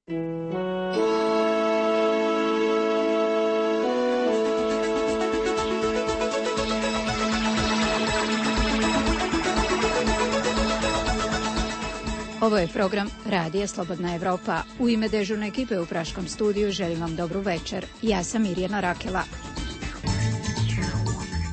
Ovo je program Radija Slobodna Evropa. U ime dežurne ekipe u Praškom studiju želim vam dobru večer. Ja sam Mirjana Rakela.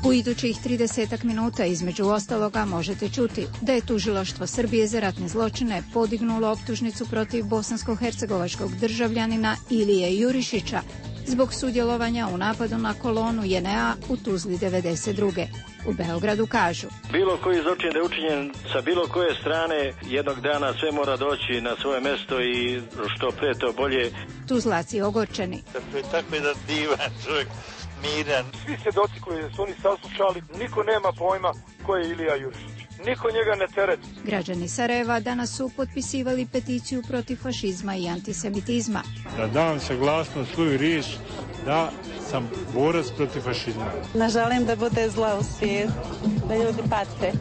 U idućih 30 minuta između ostaloga možete čuti da je Tužilaštvo Srbije za ratne zločine podignulo optužnicu protiv bosansko-hercegovačkog državljanina Ilije Jurišića zbog sudjelovanja u napadu na kolonu JNA u Tuzli 92. U Beogradu kažu: bilo koji zločin da je učinjen sa bilo koje strane, jednog dana sve mora doći na svoje mesto i što pre to bolje. Tuzlaci ogorčeni. Tako je da divan čovjek, miran. Svi svjedoci koji su oni saslušali, niko nema pojma ko je Ilija Jurišić. Niko njega ne tereti. Građani Sarajeva danas su potpisivali peticiju protiv fašizma i antisemitizma. Da dam saglasnost svoju riječ da sam borac protiv fašizma. Ne želim da bude zla u svijetu, da ljudi pate.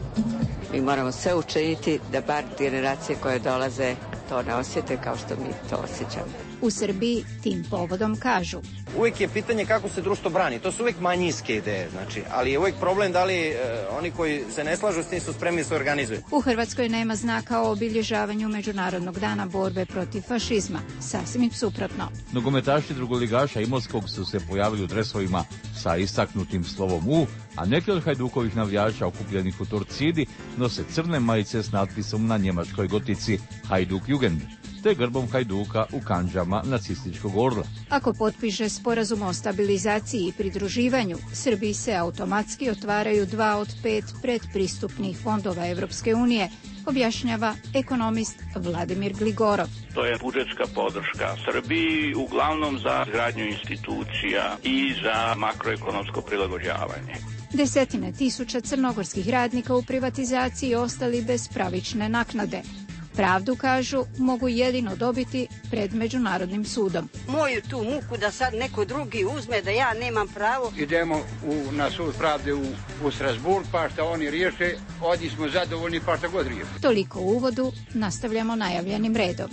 Mi moramo sve učiniti da bar generacije koje dolaze to ne osjete kao što mi to osjećamo. U Srbiji tim povodom kažu: uvijek je pitanje kako se društvo brani. To su uvijek manjinske ideje, ali je uvijek problem da li oni koji se ne slažu s tim su spremni da se organizuju. U Hrvatskoj nema znaka o obilježavanju Međunarodnog dana borbe protiv fašizma. Sasvim suprotno. Nogometaši drugoligaša Imotskog su se pojavili u dresovima sa istaknutim slovom U, a neki od Hajdukovih navijača okupljenih u Torcidi nose crne majice s natpisom na njemačkoj gotici Hajduk Jugend, te grbom Hajduka u kandžama nacističkog orla. Ako potpiše sporazum o stabilizaciji i pridruživanju, Srbiji se automatski otvaraju 2 od 5 predpristupnih fondova Evropske unije, objašnjava ekonomist Vladimir Gligorov. To je budžetska podrška Srbiji, uglavnom za izgradnju institucija i za makroekonomsko prilagođavanje. Desetine tisuća crnogorskih radnika u privatizaciji ostali bez pravične naknade. Pravdu, kažu, mogu jedino dobiti pred Međunarodnim sudom. Moju tu muku da sad neko drugi uzme, da ja nemam pravo. Idemo na sud pravde u Strasburg, pa što oni riješe, odi smo zadovoljni, pa što god riješe. Toliko u uvodu, nastavljamo najavljenim redom.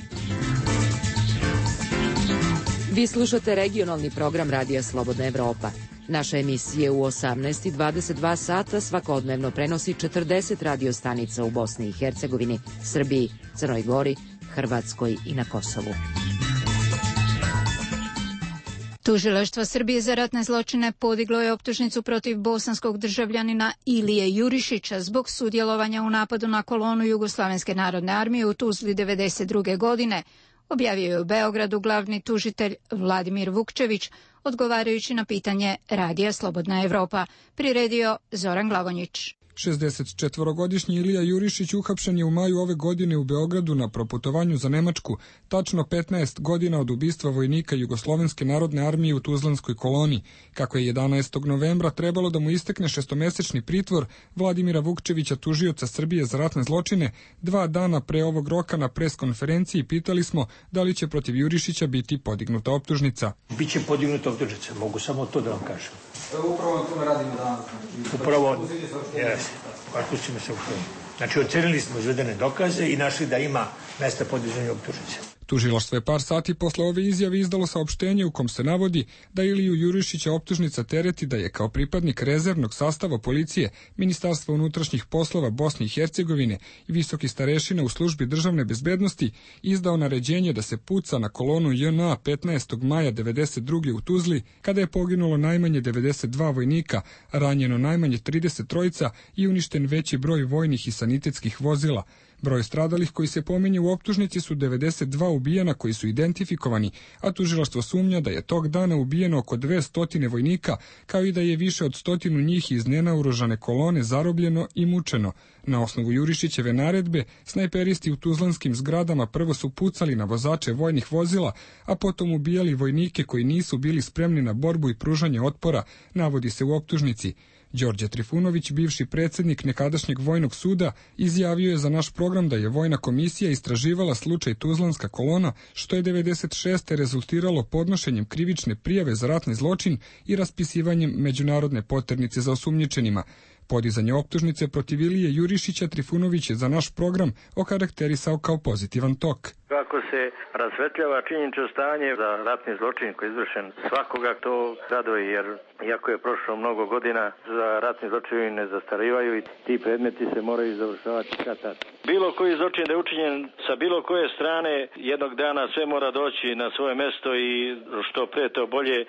Vi slušate regionalni program Radija Slobodna Evropa. Naša emisija u 18:22 sata svakodnevno prenosi 40 radiostanica u Bosni i Hercegovini, Srbiji, Crnoj Gori, Hrvatskoj i na Kosovu. Tužilaštvo Srbije za ratne zločine podiglo je optužnicu protiv bosanskog državljanina Ilije Jurišića zbog sudjelovanja u napadu na kolonu Jugoslavenske narodne armije u Tuzli 92. godine, objavio je u Beogradu glavni tužitelj Vladimir Vukčević, odgovarajući na pitanje Radija Slobodna Evropa. Priredio Zoran Glavonjić. 64-godišnji Ilija Jurišić uhapšen je u maju ove godine u Beogradu na proputovanju za Nemačku, tačno 15 godina od ubistva vojnika Jugoslovenske narodne armije u Tuzlanskoj koloni. Kako je 11. novembra trebalo da mu istekne 6-mesečni pritvor, Vladimira Vukčevića, tužioca Srbije za ratne zločine, 2 dana pre ovog roka na preskonferenciji pitali smo da li će protiv Jurišića biti podignuta optužnica. Biće podignuta optužnica, mogu samo to da vam kažem. Upravo na tome radimo danas. Upravo, kako ćemo se upravo. Znači, ocenili smo izvedene dokaze i našli da ima mesta podizanja optužnice. Tužilaštvo je par sati posle ove izjave izdalo saopštenje u kom se navodi da Iliju Jurišića optužnica tereti da je kao pripadnik rezervnog sastava policije, Ministarstva unutrašnjih poslova Bosne i Hercegovine i visoki starešina u službi državne bezbednosti izdao naređenje da se puca na kolonu JNA 15. maja 92. u Tuzli, kada je poginulo najmanje 92 vojnika, ranjeno najmanje 33 i uništen veći broj vojnih i sanitetskih vozila. Broj stradalih koji se pominje u optužnici su 92 ubijena koji su identifikovani, a tužilaštvo sumnja da je tog dana ubijeno oko 200 vojnika, kao i da je više od 100 njih iz nenaoružane kolone zarobljeno i mučeno. Na osnovu Jurišićeve naredbe, snajperisti u tuzlanskim zgradama prvo su pucali na vozače vojnih vozila, a potom ubijali vojnike koji nisu bili spremni na borbu i pružanje otpora, navodi se u optužnici. Đorđe Trifunović, bivši predsjednik nekadašnjeg vojnog suda, izjavio je za naš program da je vojna komisija istraživala slučaj Tuzlanska kolona, što je 96. rezultiralo podnošenjem krivične prijave za ratni zločin i raspisivanjem međunarodne poternice za osumnjičenima. Podizanje optužnice protiv Ilije Jurišića Trifunović je za naš program okarakterisao kao pozitivan tok. Kako se rasvetljava činjenično stanje za ratni zločin koji je izvršen svakoga, to raduje, jer iako je prošlo mnogo godina, za ratni zločini ne zastarivaju i ti predmeti se moraju završavati kad-tad. Bilo koji zločin da je učinjen sa bilo koje strane, jednog dana sve mora doći na svoje mesto i što pre to bolje.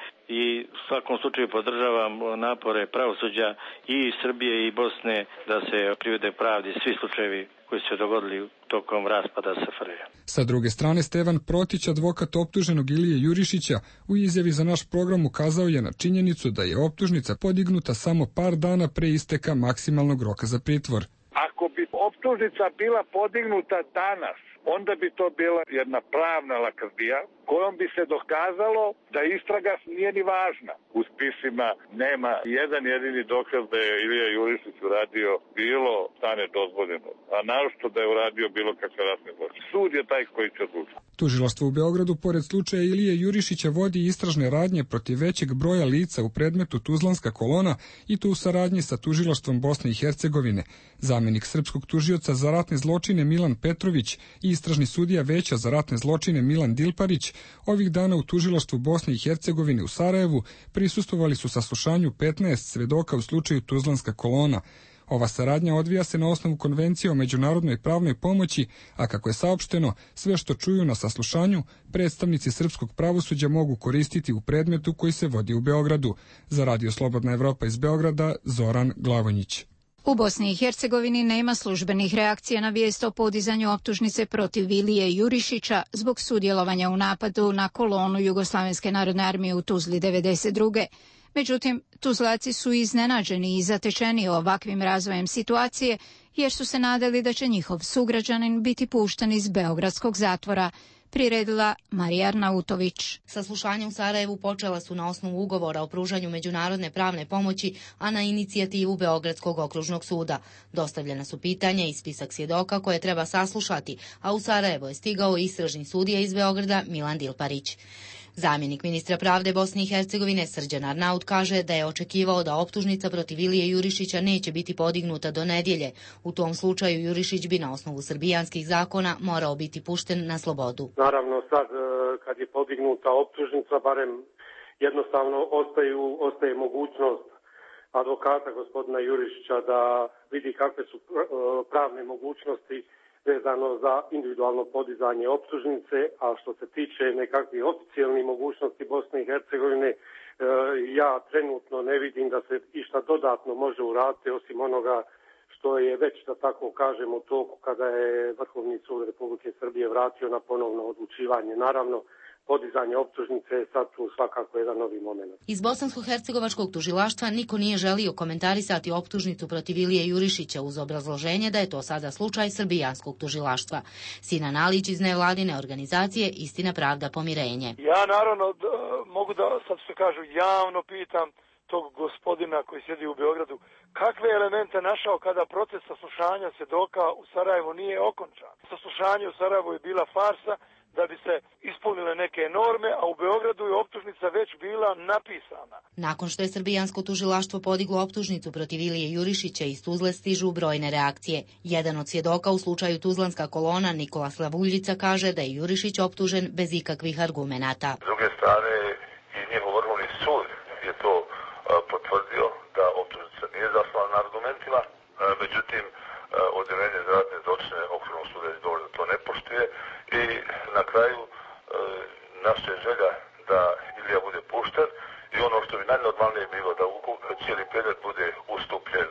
I u svakom slučaju podržavam napore pravosuđa i Srbije i Bosne da se privede pravdi svi slučajevi koji su se dogodili tokom raspada SFRJ. Sa druge strane, Stevan Protić, advokat optuženog Ilije Jurišića, u izjavi za naš program ukazao je na činjenicu da je optužnica podignuta samo par dana pre isteka maksimalnog roka za pritvor. Ako bi optužnica bila podignuta danas, onda bi to bila jedna pravna lakrdija kojom bi se dokazalo da istraga nije ni važna. U spisima nema jedan jedini dokaz da je Ilija Jurišić uradio bilo šta nedozvoljeno, a naročito da je uradio bilo kakve ratne zločine. Sud je taj koji će odlučiti. Tužilaštvo u Beogradu pored slučaja Ilije Jurišića vodi istražne radnje protiv većeg broja lica u predmetu Tuzlanska kolona i to u saradnji sa Tužilaštvom Bosne i Hercegovine. Zamenik srpskog tužioca za ratne zločine Milan Petrović i istražni sudija Veća za ratne zločine Milan Dilparić ovih dana u Tužilaštvu Bosne i Hercegovine u Sarajevu prisustvovali su saslušanju 15 svedoka u slučaju Tuzlanska kolona. Ova saradnja odvija se na osnovu Konvencije o međunarodnoj pravnoj pomoći, a kako je saopšteno, sve što čuju na saslušanju, predstavnici srpskog pravosuđa mogu koristiti u predmetu koji se vodi u Beogradu. Za Radio Slobodna Evropa iz Beograda, Zoran Glavonjić. U Bosni i Hercegovini nema službenih reakcija na vijest o podizanju optužnice protiv Ilije Jurišića zbog sudjelovanja u napadu na kolonu Jugoslavenske narodne armije u Tuzli 92. Međutim, Tuzlaci su iznenađeni i zatečeni ovakvim razvojem situacije jer su se nadali da će njihov sugrađanin biti pušten iz beogradskog zatvora, priredila Marija Arnautović. Saslušanja u Sarajevu počela su na osnovu ugovora o pružanju međunarodne pravne pomoći, a na inicijativu Beogradskog okružnog suda. Dostavljena su pitanja i spisak svjedoka koje treba saslušati, a u Sarajevo je stigao istražni sudija iz Beograda Milan Dilparić. Zamjenik ministra pravde Bosne i Hercegovine Srđan Arnaut kaže da je očekivao da optužnica protiv Ilije Jurišića neće biti podignuta do nedjelje. U tom slučaju Jurišić bi na osnovu srbijanskih zakona morao biti pušten na slobodu. Naravno sad kad je podignuta optužnica, barem jednostavno ostaje mogućnost advokata gospodina Jurišića da vidi kakve su pravne mogućnosti vezano za individualno podizanje optužnice, a što se tiče nekakvih oficijalnih mogućnosti Bosne i Hercegovine, ja trenutno ne vidim da se išta dodatno može uraditi osim onoga što je već, da tako kažem, u toku kada je Vrhovni sud Republike Srbije vratio na ponovno odlučivanje. Naravno, podizanje optužnice je sad tu svakako jedan novi moment. Iz Bosansko-hercegovačkog tužilaštva niko nije želio komentarisati optužnicu protiv Ilije Jurišića uz obrazloženje da je to sada slučaj srbijanskog tužilaštva. Sinan Alić iz nevladine organizacije Istina, pravda, pomirenje. Ja naravno mogu da, sad se kažu, javno pitam tog gospodina koji sjedi u Beogradu, kakve elemente našao kada proces saslušanja svjedoka u Sarajevu nije okončan. Saslušanje u Sarajevu je bila farsa da bi se ispunile neke norme, a u Beogradu je optužnica već bila napisana. Nakon što je srbijansko tužilaštvo podiglo optužnicu protiv Ilije Jurišića, iz Tuzle stižu brojne reakcije. Jedan od svjedoka u slučaju Tuzlanska kolona, Nikola Slavuljica, kaže da je Jurišić optužen bez ikakvih argumenata. S druge strane, i njihov Vrhovni sud je to potvrdio da optužnica nije zasnovana na argumentima, međutim, Odeljenje za ratne zločine Okružnog suda iz Beograda to ne poštuje i na kraju naša je želja da Ilija bude pušten i ono što bi najnormalnije bilo da cijeli predmet bude ustupljen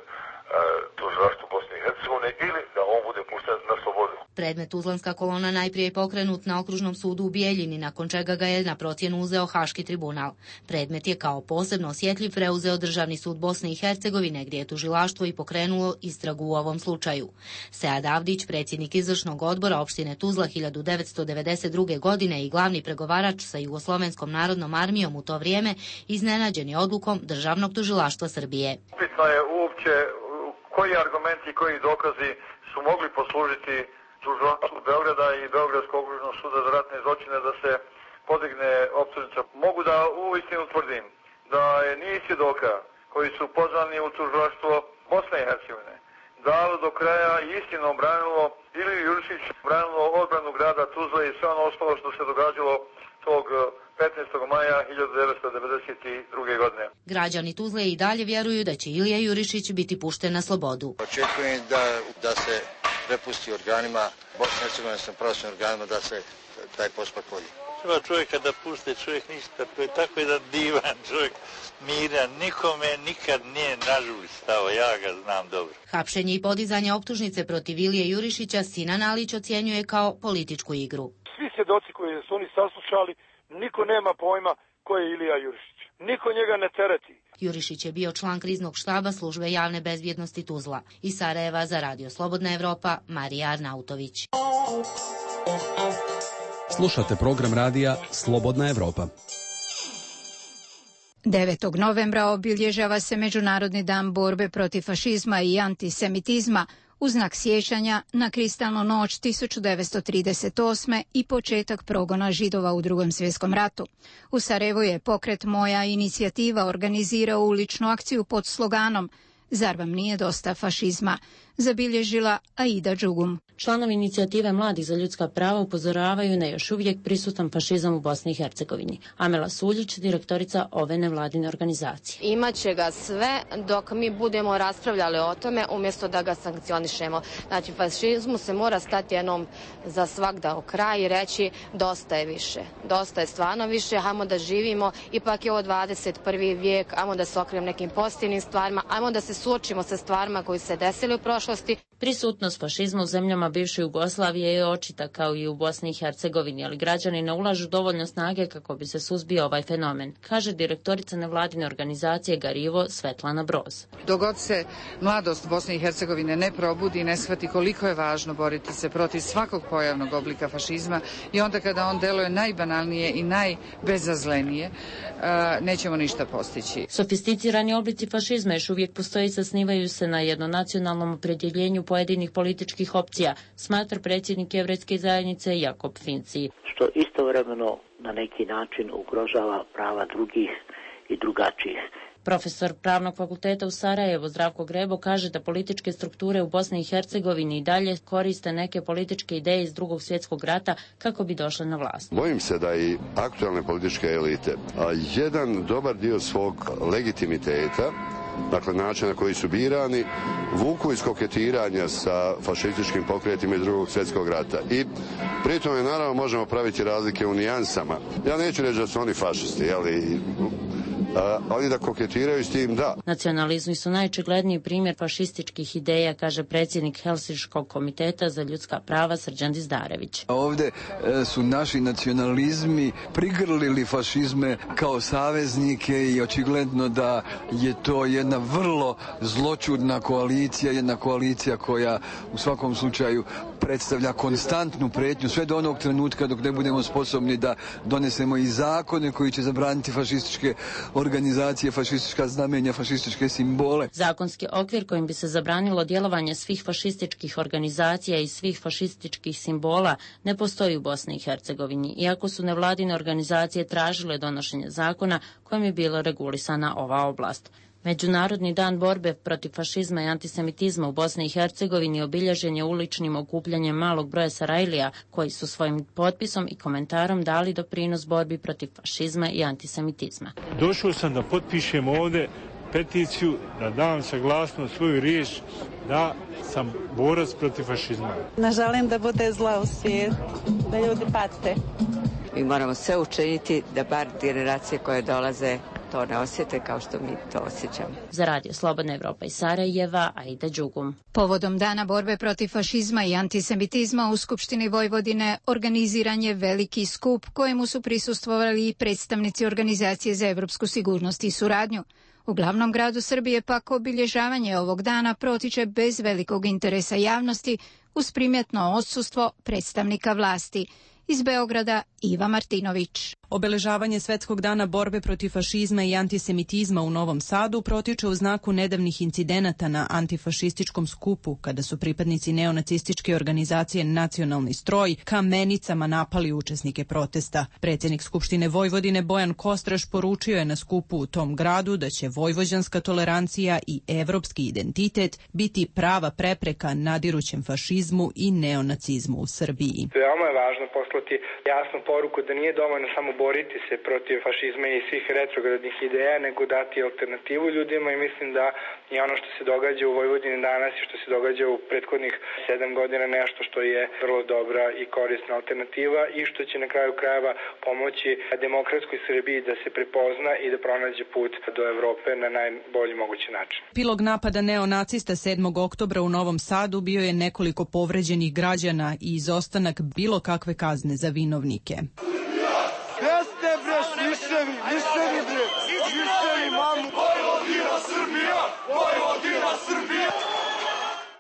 tužilaštvu Bosne i Hercegovine ili da on bude pušten na slobodu. Predmet Tuzlanska kolona najprije je pokrenut na Okružnom sudu u Bijeljini, nakon čega ga je na procjenu uzeo Haški tribunal. Predmet je kao posebno osjetljiv preuzeo Državni sud Bosne i Hercegovine, gdje je tužilaštvo i pokrenulo istragu u ovom slučaju. Sead Avdić, predsjednik izvršnog odbora opštine Tuzla 1992. godine i glavni pregovarač sa Jugoslovenskom narodnom armijom u to vrijeme, iznenađen je odlukom Državnog tužilaštva Srbije. Bitno je uopće koji argumenti i koji dokazi su mogli poslužiti tužilaštvu Beograda i Beogradskog okružnog suda za ratne zločine da se podigne optužnica. Mogu da uistinu tvrdim da je niz svjedoka koji su pozvani u tužilaštvo Bosne i Hercegovine dalo do kraja i istinom branilo Iliju Jurišić, branilo odbranu grada Tuzle i sve ono ostalo što se događalo tog 15. maja 1992. godine. Građani Tuzle i dalje vjeruju da će Ilija Jurišić biti pušten na slobodu. Očekujem da se prepusti organima, Bosno-Hercegovinskim pravosudnim organima, da se taj postupak vodi. Treba čovjeka da puste, čovjek ništa, to je tako jedan divan čovjek, miran, nikome nikad nije nažulj stao, ja ga znam dobro. Hapšenje i podizanje optužnice protiv Ilije Jurišića Sinan Alić ocjenjuje kao političku igru. Svi svjedoci koji su oni saslušali, niko nema pojma ko je Ilija Jurišić. Niko njega ne tereti. Jurišić je bio član kriznog štaba službe javne bezbjednosti Tuzla. Iz Sarajeva za Radio Slobodna Evropa, Marija Arnautović. Slušate program radija Slobodna Evropa. 9. novembra obilježava se Međunarodni dan borbe protiv fašizma i antisemitizma u znak sjećanja na kristalnu noć 1938. i početak progona Židova u Drugom svjetskom ratu. U Sarajevu je pokret Moja inicijativa organizirao uličnu akciju pod sloganom "Zar vam nije dosta fašizma?", zabilježila Aida Đugum. Članovi inicijative Mladih za ljudska prava upozoravaju na još uvijek prisutan fašizam u Bosni i Hercegovini. Amela Suljić, direktorica ove nevladine organizacije. Imaće ga sve dok mi budemo raspravljali o tome umjesto da ga sankcionišemo. Znači, fašizmu se mora stati jednom za svagda u kraj i reći dosta je više. Dosta je stvarno više, hajmo da živimo, ipak je ovo 21. vijek, hajmo da se okrenemo nekim pozitivnim stvarima, hajmo da se suočimo sa stvarima koji se desili u prošlosti. Prisutnost fašizma u zemljama bivše Jugoslavije je očita kao i u Bosni i Hercegovini, ali građani ne ulažu dovoljno snage kako bi se suzbio ovaj fenomen, kaže direktorica nevladine organizacije Garivo Svetlana Broz. Dok god se mladost Bosne i Hercegovine ne probudi i ne shvati koliko je važno boriti se protiv svakog pojavnog oblika fašizma i onda kada on deluje najbanalnije i najbezazlenije, nećemo ništa postići. Sofisticirani oblici fašizma još uvijek postoje i zasnivaju se na jednonacionalnom opredjeljenju pojedinih političkih opcija, smatra predsjednik Jevrejske zajednice Jakob Finci. Što istovremeno na neki način ugrožava prava drugih i drugačijih. Profesor Pravnog fakulteta u Sarajevu Zdravko Grebo kaže da političke strukture u Bosni i Hercegovini i dalje koriste neke političke ideje iz Drugog svjetskog rata kako bi došle na vlast. Bojim se da i aktualne političke elite jedan dobar dio svog legitimiteta, dakle način na koji su birani, vuku iz koketiranja sa fašističkim pokretima iz Drugog svjetskog rata. I pritom je naravno možemo praviti razlike u nijansama. Ja neću reći da su oni fašisti, ali da koketiraju s tim, da. Nacionalizmi su najočigledniji primjer fašističkih ideja, kaže predsjednik Helsinškog komiteta za ljudska prava Srđan Dizdarević. Ovdje su naši nacionalizmi prigrlili fašizme kao saveznike i očigledno da je to jedna vrlo zločudna koalicija, jedna koalicija koja u svakom slučaju predstavlja konstantnu prijetnju sve do onog trenutka dok ne budemo sposobni da donesemo i zakone koji će zabraniti fašističke organizacije, fašistička znamenja, fašističke simbole. Zakonski okvir kojim bi se zabranilo djelovanje svih fašističkih organizacija i svih fašističkih simbola ne postoji u Bosni i Hercegovini, iako su nevladine organizacije tražile donošenje zakona kojim je bila regulisana ova oblast. Međunarodni dan borbe protiv fašizma i antisemitizma u Bosni i Hercegovini obilježen je uličnim okupljanjem malog broja Sarajlija koji su svojim potpisom i komentarom dali doprinos borbi protiv fašizma i antisemitizma. Došao sam da potpišem ovdje peticiju, da dam saglasnost svoju riječ da sam borac protiv fašizma. Ne želim da bude zla u svijetu, da ljudi pate. Mi moramo sve učiniti da bar generacije koje dolaze to ne osjete kao što mi to osjećamo. Za Radio Slobodna Evropa iz Sarajeva, Aida Đugum. Povodom Dana borbe protiv fašizma i antisemitizma u Skupštini Vojvodine organiziran je veliki skup kojemu su prisustvovali i predstavnici Organizacije za evropsku sigurnost i suradnju. U glavnom gradu Srbije pak obilježavanje ovog dana protiče bez velikog interesa javnosti uz primjetno odsustvo predstavnika vlasti. Iz Beograda Iva Martinović. Obeležavanje Svetskog dana borbe protiv fašizma i antisemitizma u Novom Sadu protiče u znaku nedavnih incidenata na antifašističkom skupu, kada su pripadnici neonacističke organizacije Nacionalni stroj kamenicama napali učesnike protesta. Predsjednik Skupštine Vojvodine Bojan Kostraš poručio je na skupu u tom gradu da će vojvođanska tolerancija i evropski identitet biti prava prepreka nadirućem fašizmu i neonacizmu u Srbiji. Veoma je važno poslati jasnu poruku da nije dovoljno samo boriti se protiv fašizma i svih retrogradnih ideja, nego dati alternativu ljudima i mislim da je ono što se događa u Vojvodini danas i što se događa u prethodnih 7 godina nešto što je vrlo dobra i korisna alternativa i što će na kraju krajeva pomoći demokratskoj Srbiji da se prepozna i da pronađe put do Evrope na najbolji mogući način. Epilog napada neonacista 7. oktobra u Novom Sadu bio je nekoliko povređenih građana i izostanak bilo kakve kazne za vinovnike. Jeste bre, sliševi bre, sliševi mamu. Vojvodina Srbija, Vojvodina Srbija.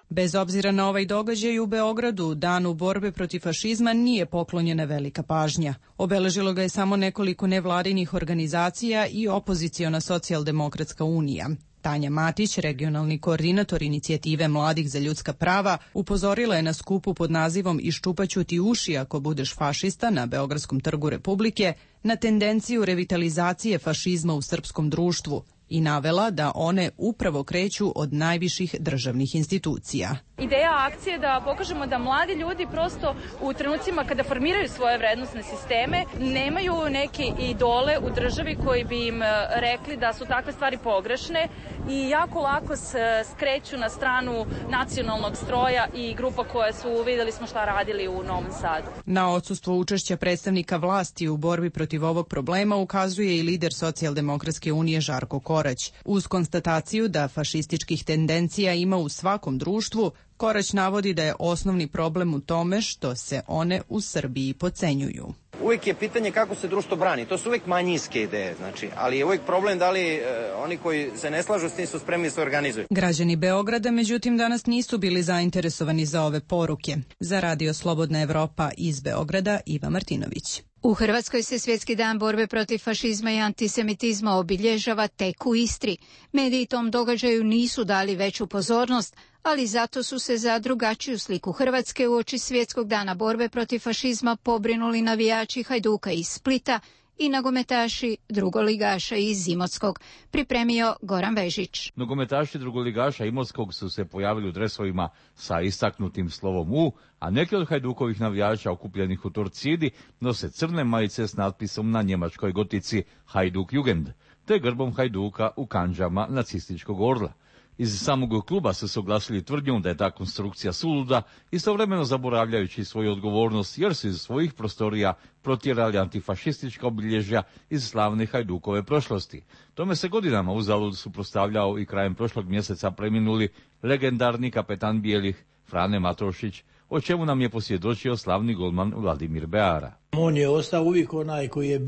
Bez obzira na ovaj događaj u Beogradu, danu borbe protiv fašizma nije poklonjena velika pažnja. Obeležilo ga je samo nekoliko nevladinih organizacija i opoziciona Socijaldemokratska unija. Tanja Matić, regionalni koordinator inicijative Mladih za ljudska prava, upozorila je na skupu pod nazivom Iščupaću ti uši ako budeš fašista na Beogradskom trgu Republike na tendenciju revitalizacije fašizma u srpskom društvu i navela da one upravo kreću od najviših državnih institucija. Ideja akcije je da pokažemo da mladi ljudi prosto u trenucima kada formiraju svoje vrednosne sisteme nemaju neke idole u državi koji bi im rekli da su takve stvari pogrešne i jako lako se skreću na stranu nacionalnog stroja i grupa koje su, videli smo šta radili u Novom Sadu. Na odsustvo učešća predstavnika vlasti u borbi protiv ovog problema ukazuje i lider Socijaldemokratske unije Žarko Korać. Uz konstataciju da fašističkih tendencija ima u svakom društvu, Korać navodi da je osnovni problem u tome što se one u Srbiji potcenjuju. Uvijek je pitanje kako se društvo brani. To su uvijek manjinske ideje, ali je uvijek problem da li oni koji se ne slažu s tim su spremni da se organizuju. Građani Beograda, međutim, danas nisu bili zainteresovani za ove poruke. Za Radio Slobodna Evropa iz Beograda, Iva Martinović. U Hrvatskoj se Svjetski dan borbe protiv fašizma i antisemitizma obilježava tek u Istri. Mediji tom događaju nisu dali veću pozornost, ali zato su se za drugačiju sliku Hrvatske uoči Svjetskog dana borbe protiv fašizma pobrinuli navijači Hajduka iz Splita i nogometaši drugoligaša iz Imotskog, pripremio Goran Vežić. Nogometaši drugoligaša Imotskog su se pojavili u dresovima sa istaknutim slovom U, a neki od Hajdukovih navijača okupljenih u Torcidi nose crne majice s natpisom na njemačkoj gotici Hajduk Jugend, te grbom Hajduka u kandžama nacističkog orla. Iz samog kluba su se oglasili tvrdnjom da je ta konstrukcija suluda, istovremeno zaboravljajući svoju odgovornost jer su iz svojih prostorija protjerali antifašistička obilježja iz slavne Hajdukove prošlosti. Tome se godinama uzalud suprotstavljao i krajem prošlog mjeseca preminuli legendarni kapetan bijelih Frane Matrošić, o čemu nam je posvjedočio slavni golman Vladimir Beara. On je ostao uvijek onaj koji je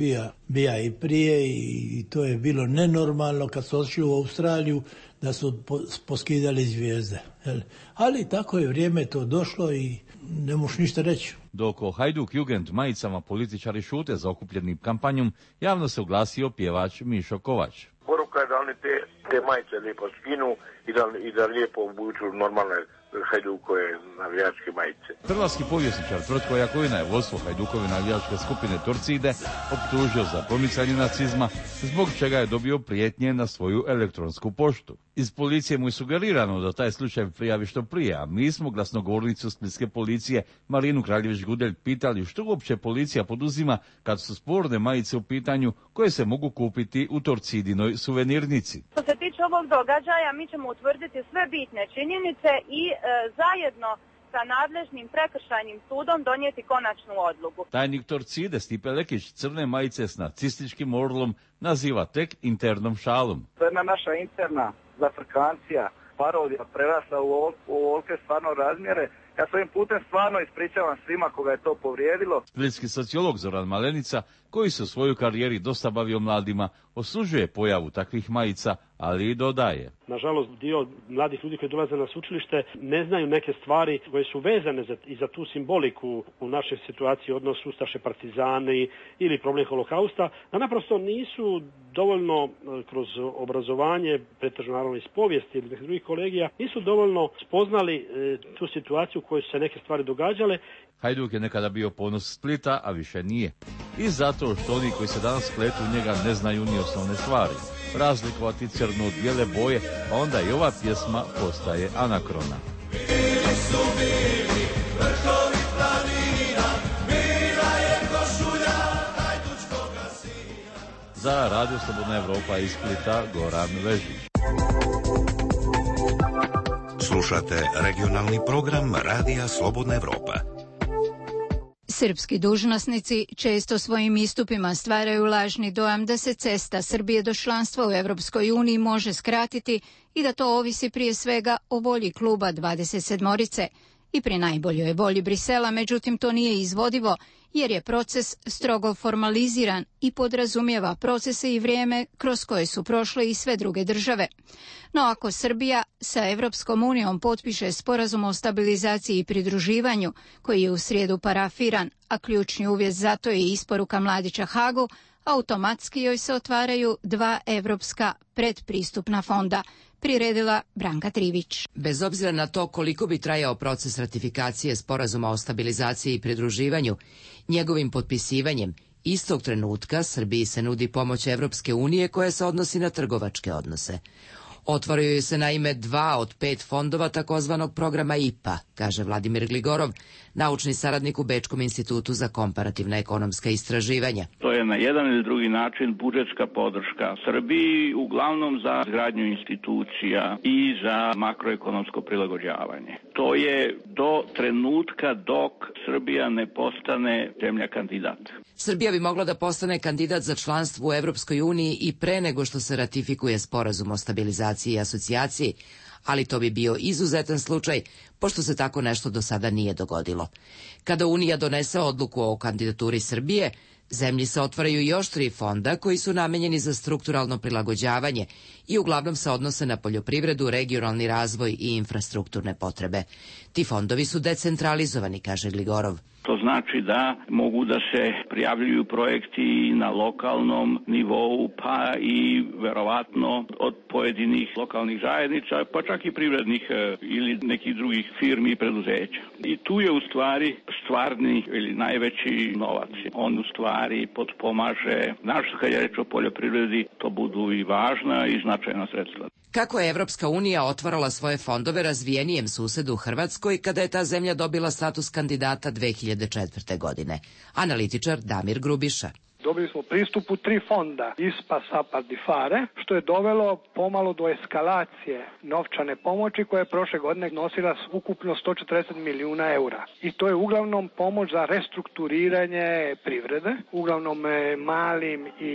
bija i prije i to je bilo nenormalno kad su odšli u Australiju da su poskidali zvijezde. Ali tako je vrijeme to došlo i ne možeš ništa reći. Dok o Hajduk Jugend majicama političari šute za okupljenim kampanjom, javno se oglasio pjevač Mišo Kovač. Poruka je da oni te majice lijepo skinu i da lijepo obuču normalne Hajdukove navijačke majice. Hrvatski povjesničar Tvrtko Jakovina je vodstvo Hajdukove navijačke skupine Torcide optužio za promicanje nacizma, zbog čega je dobio prijetnje na svoju elektronsku poštu. Iz policije mu je sugerirano da taj slučaj prijavi što prije, a mi smo glasnogovornicu splitske policije Marinu Kraljević-Gudelj pitali što uopće policija poduzima kad su sporne majice u pitanju koje se mogu kupiti u Torcidinoj suvenirnici. Što se tiče ovog događaja, mi ćemo utvrditi sve bitne činjenice i zajedno sa nadležnim prekršajnim sudom donijeti konačnu odluku. Tajnik Torcide Stipe Lekić crne majice s nacističkim orlom naziva tek internom šalom. To je jedna naša interna zafrkancija, parodija prerasla u ovolike stvarno razmjere. Ja s ovim putem stvarno ispričavam svima koga je to povrijedilo. Splitski sociolog Zoran Malenica, koji se u svojoj karijeri dosta bavio mladima, osuđuje pojavu takvih majica, ali i dodaje. Nažalost, dio mladih ljudi koji dolaze na sveučilište ne znaju neke stvari koje su vezane i za tu simboliku u našoj situaciji, odnos ustaše, partizani ili problem holokausta, da naprosto nisu dovoljno kroz obrazovanje, pretežno naravno iz povijesti ili nekih drugih kolegija, nisu dovoljno spoznali tu situaciju u kojoj su se neke stvari događale. Hajduk je nekada bio ponos Splita, a više nije. I zato što oni koji se danas pletu u njega ne znaju ni osnovne stvari. Razlikovati crno od bijele boje, a onda i ova pjesma postaje anakrona. Bili su bili vrhovi planina, bila je košulja hajdučkoga sina. Za Radio Slobodna Evropa iz Splita, Goran Vežić. Slušate regionalni program Radija Slobodna Evropa. Srpski dužnosnici često svojim istupima stvaraju lažni dojam da se cesta Srbije do članstva u Evropskoj uniji može skratiti i da to ovisi prije svega o volji kluba 27-orice i pri najboljoj volji Brisela, međutim to nije izvodivo jer je proces strogo formaliziran i podrazumijeva procese i vrijeme kroz koje su prošle i sve druge države. No ako Srbija sa Evropskom unijom potpiše sporazum o stabilizaciji i pridruživanju, koji je u srijedu parafiran, a ključni uvjet za to je isporuka Mladića Hagu, automatski joj se otvaraju 2 evropska predpristupna fonda, priredila Branka Trivić. Bez obzira na to koliko bi trajao proces ratifikacije sporazuma o stabilizaciji i pridruživanju, njegovim potpisivanjem istog trenutka Srbiji se nudi pomoć Evropske unije koja se odnosi na trgovačke odnose. Otvaraju se naime 2 od 5 fondova takozvanog programa IPA, kaže Vladimir Gligorov, naučni saradnik u Bečkom institutu za komparativna ekonomska istraživanja. To je na jedan ili drugi način budžetska podrška Srbiji, uglavnom za izgradnju institucija i za makroekonomsko prilagođavanje. To je do trenutka dok Srbija ne postane zemlja kandidat. Srbija bi mogla da postane kandidat za članstvo u Evropskoj uniji i pre nego što se ratifikuje sporazum o stabilizaciji i asocijaciji, ali to bi bio izuzetan slučaj, pošto se tako nešto do sada nije dogodilo. Kada Unija donese odluku o kandidaturi Srbije, zemlji se otvaraju još 3 fonda koji su namenjeni za strukturalno prilagođavanje i uglavnom se odnose na poljoprivredu, regionalni razvoj i infrastrukturne potrebe. Ti fondovi su decentralizovani, kaže Gligorov. To znači da mogu da se prijavljuju projekti na lokalnom nivou, pa i verovatno od pojedinih lokalnih zajednica, pa čak i privrednih ili nekih drugih firmi i preduzeća. I tu je u stvari stvarni ili najveći novac. On u stvari potpomaže, našto kad je reč o poljoprivredi, to budu i važna i značajna sredstva. Kako je Evropska unija otvarala svoje fondove razvijenijem susedu Hrvatskoj kada je ta zemlja dobila status kandidata 2004. godine? Analitičar Damir Grubiša. Dobili smo pristup u 3 fonda, ISPA, SAPARD i FARE, što je dovelo pomalo do eskalacije novčane pomoći koja je prošle godine nosila ukupno 140 milijuna eura. I to je uglavnom pomoć za restrukturiranje privrede, uglavnom malim i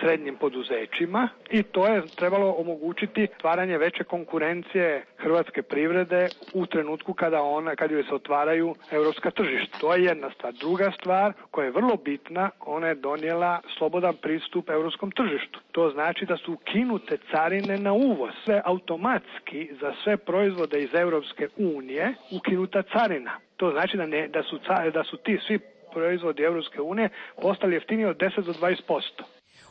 srednjim poduzećima, i to je trebalo omogućiti stvaranje veće konkurencije hrvatske privrede u trenutku kad joj se otvaraju europska tržišta. To je jedna stvar. Druga stvar koja je vrlo bitna, ona je donijela slobodan pristup europskom tržištu. To znači da su ukinute carine na uvoz. Sve automatski za sve proizvode iz Europske unije ukinuta carina. To znači da su ti svi proizvodi Europske unije postali jeftiniji od 10 do 20%.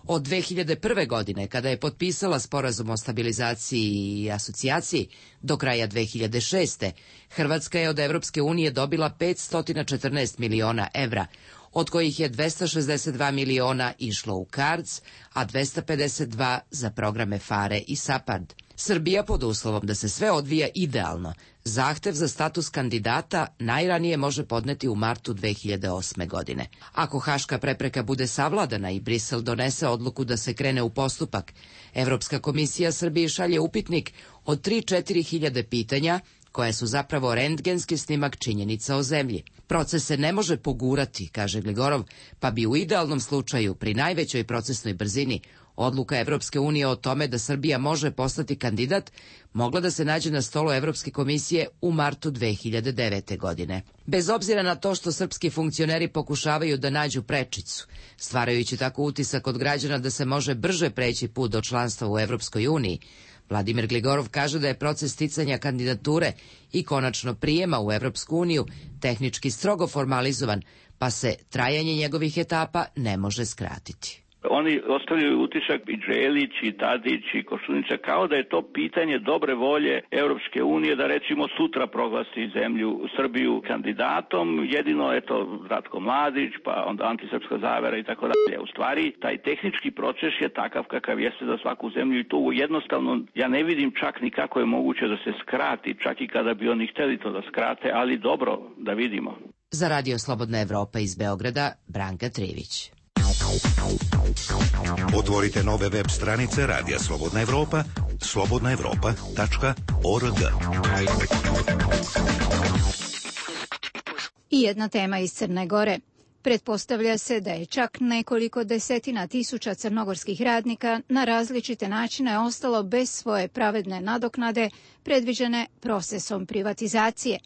Od 2001. godine, kada je potpisala sporazum o stabilizaciji i asocijaciji, do kraja 2006. Hrvatska je od Evropske unije dobila 514 miliona evra, od kojih je 262 miliona išlo u CARDS, a 252 za programe FARE i SAPARD. Srbija, pod uslovom da se sve odvija idealno, zahtev za status kandidata najranije može podneti u martu 2008. godine. Ako haška prepreka bude savladana i Brisel donese odluku da se krene u postupak, Evropska komisija Srbiji šalje upitnik od 3-4 hiljade pitanja koje su zapravo rentgenski snimak činjenica o zemlji. Proces se ne može pogurati, kaže Gligorov, pa bi u idealnom slučaju, pri najvećoj procesnoj brzini, odluka Evropske unije o tome da Srbija može postati kandidat mogla da se nađe na stolu Evropske komisije u martu 2009. godine. Bez obzira na to što srpski funkcioneri pokušavaju da nađu prečicu, stvarajući tako utisak od građana da se može brže preći put do članstva u Evropskoj uniji, Vladimir Gligorov kaže da je proces sticanja kandidature i konačno prijema u Evropsku uniju tehnički strogo formalizovan, pa se trajanje njegovih etapa ne može skratiti. Oni ostavljaju utisak i Đelić, i Tadić, i Koštunica, kao da je to pitanje dobre volje Europske unije da recimo sutra proglasi zemlju Srbiju kandidatom, jedino eto Ratko Mladić, pa onda antisrpska zavera i tako dalje. U stvari, taj tehnički proces je takav kakav jeste za svaku zemlju i to jednostavno ja ne vidim čak ni kako je moguće da se skrati, čak i kada bi oni hteli to da skrate, ali dobro da vidimo. Za Radio Slobodna Evropa iz Beograda, Branka Trivić. Otvorite nove web stranice Radija Slobodna Evropa, slobodnaevropa.org. I jedna tema iz Crne Gore. Pretpostavlja se da je čak nekoliko desetina tisuća crnogorskih radnika na različite načine ostalo bez svoje pravedne nadoknade predviđene procesom privatizacije.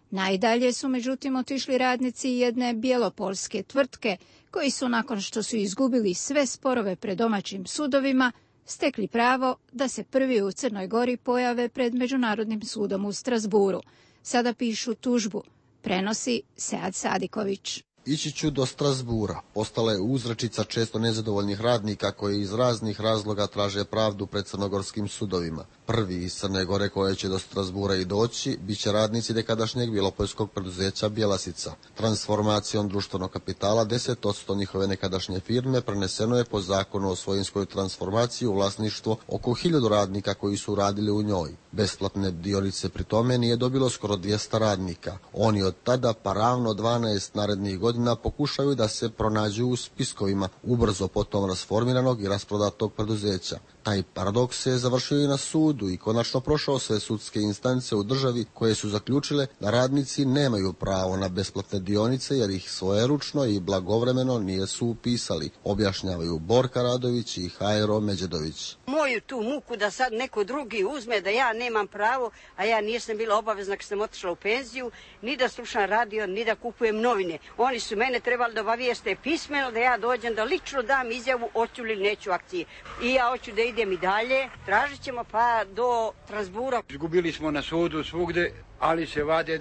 Najdalje su međutim otišli radnici jedne bjelopolske tvrtke koji su nakon što su izgubili sve sporove pred domaćim sudovima stekli pravo da se prvi u Crnoj Gori pojave pred Međunarodnim sudom u Strasburu. Sada pišu tužbu. Prenosi Sead Sadiković. Ići ću do Strasbura. Postala je uzrečica često nezadovoljnih radnika koji iz raznih razloga traže pravdu pred crnogorskim sudovima. Prvi iz Crne Gore koje će do Strasbura i doći bit će radnici nekadašnjeg bjelopoljskog preduzeća Bjelasica. Transformacijom društvenog kapitala 10% njihove nekadašnje firme preneseno je po zakonu o svojinskoj transformaciji u vlasništvo oko 1000 radnika koji su radili u njoj. Besplatne dionice pri tome nije dobilo skoro 200 radnika. Oni od tada pa ravno 12 narednih godina pokušaju da se pronađu u spiskovima ubrzo potom rasformiranog i rasprodatog preduzeća. Taj paradoks se je završio i na sudu i konačno prošao sve sudske instance u državi koje su zaključile da radnici nemaju pravo na besplatne dionice jer ih svojeručno i blagovremeno nisu upisali, objašnjavaju Borka Radović i Hajro Međedović. Moju tu muku da sad neko drugi uzme da ja nemam pravo, a ja nisam bila obavezna kad sam otišla u penziju, ni da slušam radio, ni da kupujem novine. Oni su mene trebali da obavijeste pismeno da ja dođem da lično dam izjavu hoću li neću akcije. I ja hoću da idem i dalje, tražit ćemo pa do Strasbura. Izgubili smo na sudu svugde, ali se vade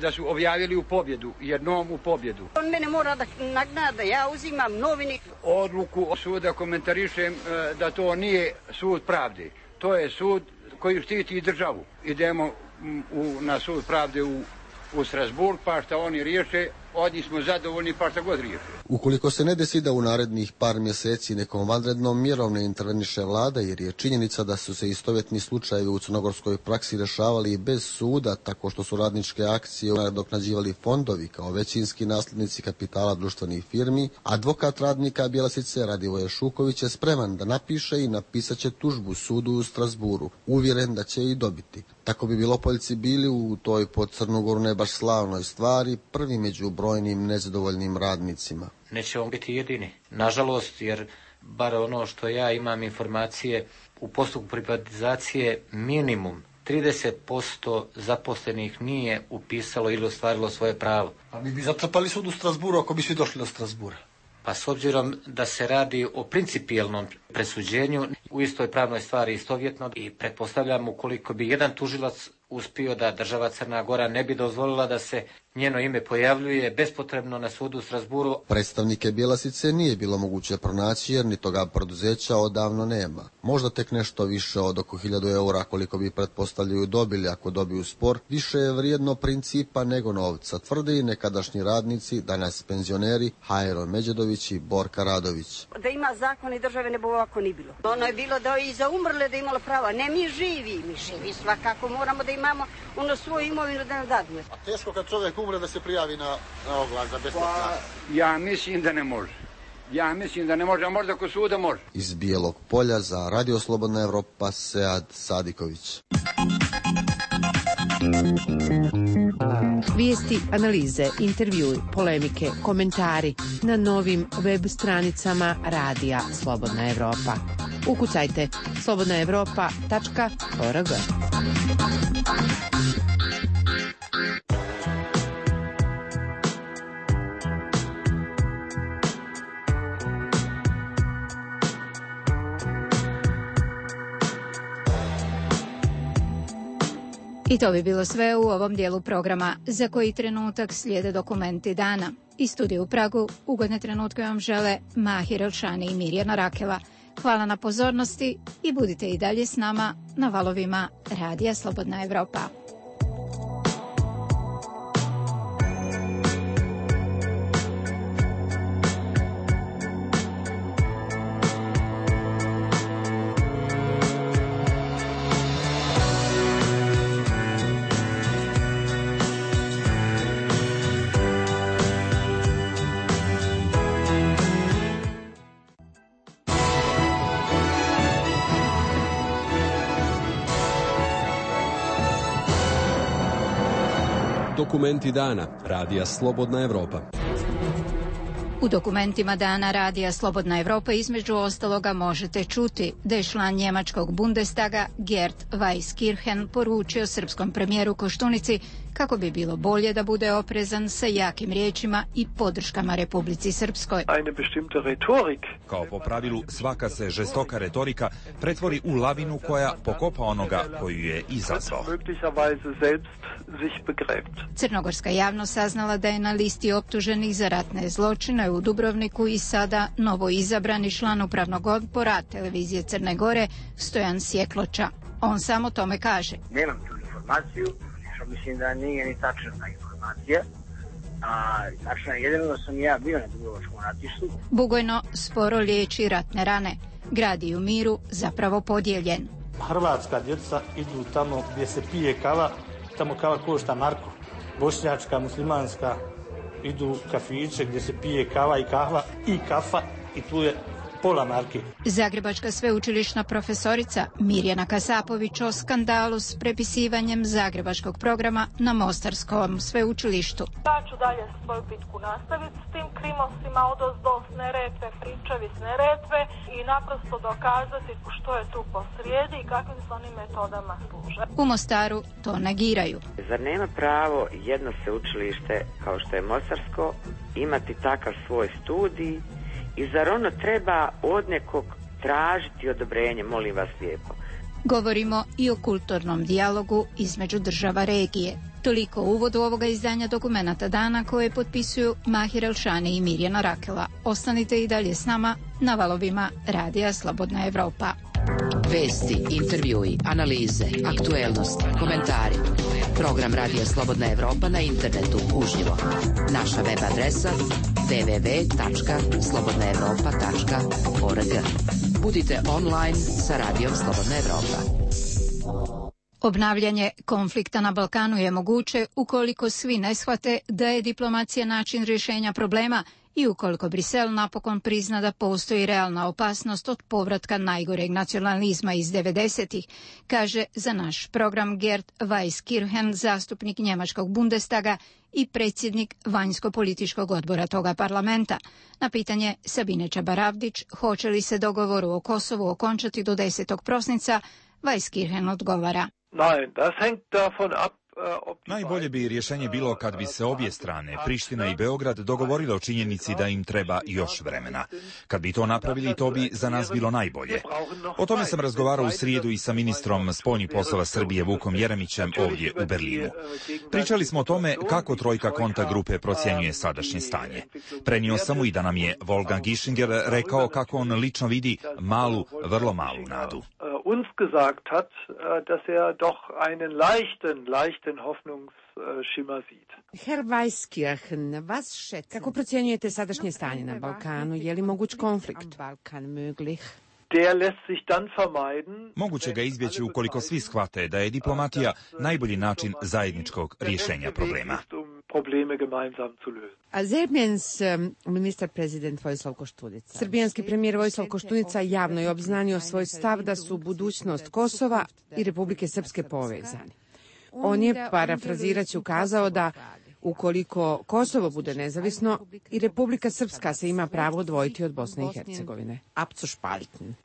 da su objavili u pobjedu, jednom u pobjedu. On mene mora da nagnada, ja uzimam novini. Odluku suda komentarišem da to nije sud pravde, to je sud koji štiti državu. Idemo na sud pravde u Strasburg, pa šta oni riješe, od njih smo zadovoljni, pa šta god riješe. Ukoliko se ne desi da u narednih par mjeseci nekom vanrednom mjerom ne interveniše vlada, jer je činjenica da su se istovjetni slučajevi u crnogorskoj praksi rešavali i bez suda, tako što su radničke akcije nadoknađivali fondovi kao većinski nasljednici kapitala društvenih firmi, advokat radnika Bjelasice Radivoje Šuković je spreman da napiše i napisat će tužbu sudu u Strasburu, uvjeren da će i dobiti. Tako bi Bjelopoljci bili u toj po Crnu Goru ne baš slavnoj stvari prvi među brojnim nezadovoljnim radnicima. Nećemo biti jedini, nažalost, jer bar ono što ja imam informacije, u postupku privatizacije minimum 30% zaposlenih nije upisalo ili ostvarilo svoje pravo. A mi bi zatrpali sud u Strasburu ako bi svi došli do Strasbura. Pa s obzirom da se radi o principijelnom presuđenju, u istoj pravnoj stvari istovjetno i pretpostavljam ukoliko bi jedan tužilac uspio da država Crna Gora ne bi dozvolila da se njeno ime pojavljuje bespotrebno na sudu u Strasburu. Predstavnike Bjelasice nije bilo moguće pronaći jer ni toga preduzeća odavno nema. Možda tek nešto više od oko 1000 eura koliko bi pretpostavljaju dobili ako dobiju spor, više je vrijedno principa nego novca, tvrde i nekadašnji radnici, danas penzioneri Hajro Međedović i Borka Radović. Da ima zakon i države ne bi ovako ni bilo. Ono je bilo da i za umrle da imalo prava, ne mi živi svakako moramo da imamo ono svoju imovinu da nam dadne. A teško kad čovjek umre da se prijavi na oglas za besplatno? Pa, ja mislim da ne može. A možda kod suda može. Iz Bijelog Polja za Radio Slobodna Evropa Sead Sadiković. Vijesti, analize, intervjui, polemike, komentari na novim web stranicama Radija Slobodna Evropa. Ukucajte slobodnaevropa.org. I to bi bilo sve u ovom dijelu programa. Za koji trenutak slijede dokumenti dana. Iz studija u Pragu ugodne trenutke vam žele Mahir Elšani i Mirjana Rakela. Hvala na pozornosti i budite i dalje s nama na valovima Radija Slobodna Evropa. Dokumenti dana Radija Slobodna Evropa. U dokumentima dana Radija Slobodna Evropa između ostaloga možete čuti da je član njemačkog Bundestaga Gerd Weiskirchen poručio srpskom premijeru Koštunici kako bi bilo bolje da bude oprezan sa jakim riječima i podrškama Republici Srpskoj. Kao po pravilu, svaka se žestoka retorika pretvori u lavinu koja pokopa onoga koju je izazvao. Crnogorska javnost saznala da je na listi optuženih za ratne zločine u Dubrovniku i sada novo izabrani član upravnog odbora televizije Crne Gore Stojan Sjekloča. On samo tome kaže: Nemam tu informaciju, što mislim da nije ni tačna ta informacija. Tačno je jedino da sam ja bio na Dubrovačkom ratištu. Bugojno sporo liječi ratne rane. Grad je u miru zapravo podijeljen. Hrvatska djeca idu tamo gdje se pije kava, tamo kava košta marku. Bošnjačka, muslimanska idu u kafiće gdje se pije kava i kahva i kafa i tu je pola marke. Zagrebačka sveučilišna profesorica Mirjana Kasapović o skandalu s prepisivanjem zagrebačkog programa na Mostarskom sveučilištu. Ja ću dalje svoju bitku nastaviti s tim krimosima odozdo s Neretve, pričavi s Neretve i naprosto dokazati što je tu posrijedi i kakvim se oni metodama služe. U Mostaru to negiraju. Zar nema pravo jedno sveučilište kao što je Mostarsko imati takav svoj studij? I zar ono treba od nekog tražiti odobrenje, molim vas lijepo? Govorimo i o kulturnom dijalogu između država regije. Toliko u uvodu ovoga izdanja dokumenata dana koje potpisuju Mahir Elšani i Mirjana Rakela. Ostanite i dalje s nama na valovima Radija Slobodna Evropa. Vesti, intervjui, analize, aktuelnosti, komentari. Program Radija Slobodna Evropa na internetu uživo. Naša web adresa www.slobodnaevropa.org. Budite online sa Radijom Slobodna Evropa. Obnavljanje konflikta na Balkanu je moguće ukoliko svi ne shvate da je diplomacija način rješenja problema i ukoliko Brisel napokon prizna da postoji realna opasnost od povratka najgoreg nacionalizma iz 90-ih, kaže za naš program Gerd Weiskirchen, zastupnik njemačkog Bundestaga i predsjednik vanjsko-političkog odbora toga parlamenta. Na pitanje Sabine Čabaravdić hoće li se dogovoru o Kosovu okončati do 10. prosinca, Weiskirchen odgovara: Nein, das hängt davon ab. Najbolje bi rješenje bilo kad bi se obje strane, Priština i Beograd, dogovorile o činjenici da im treba još vremena. Kad bi to napravili, to bi za nas bilo najbolje. O tome sam razgovarao u srijedu i sa ministrom spoljnih poslova Srbije Vukom Jeremićem ovdje u Berlinu. Pričali smo o tome kako trojka kontakt grupe procjenjuje sadašnje stanje. Prenio sam mu i da nam je Wolfgang Ischinger rekao kako on lično vidi malu, vrlo malu nadu. Uns gesagt hat, dass doch einen leichten Hoffnungsschimmer sieht. Herr Weiskirchen, kako procjenjujete sadašnje stanje na Balkanu? Je li moguć konflikt? Balkan möglich? Der lässt sich dann vermeiden. Moguće ga izbjeći ukoliko svi shvate da je diplomatija najbolji način zajedničkog rješenja problema. Probleme gemeinsam zu lösen. A Serbiens ministar prezident Vojislav Koštunica. Srbijanski premijer Vojislav Koštunica javno je obznanio svoj stav da su budućnost Kosova i Republike Srpske povezani. On je, parafrazirajući, ukazao da ukoliko Kosovo bude nezavisno, i Republika Srpska se ima pravo odvojiti od Bosne i Hercegovine. Abzuspalten.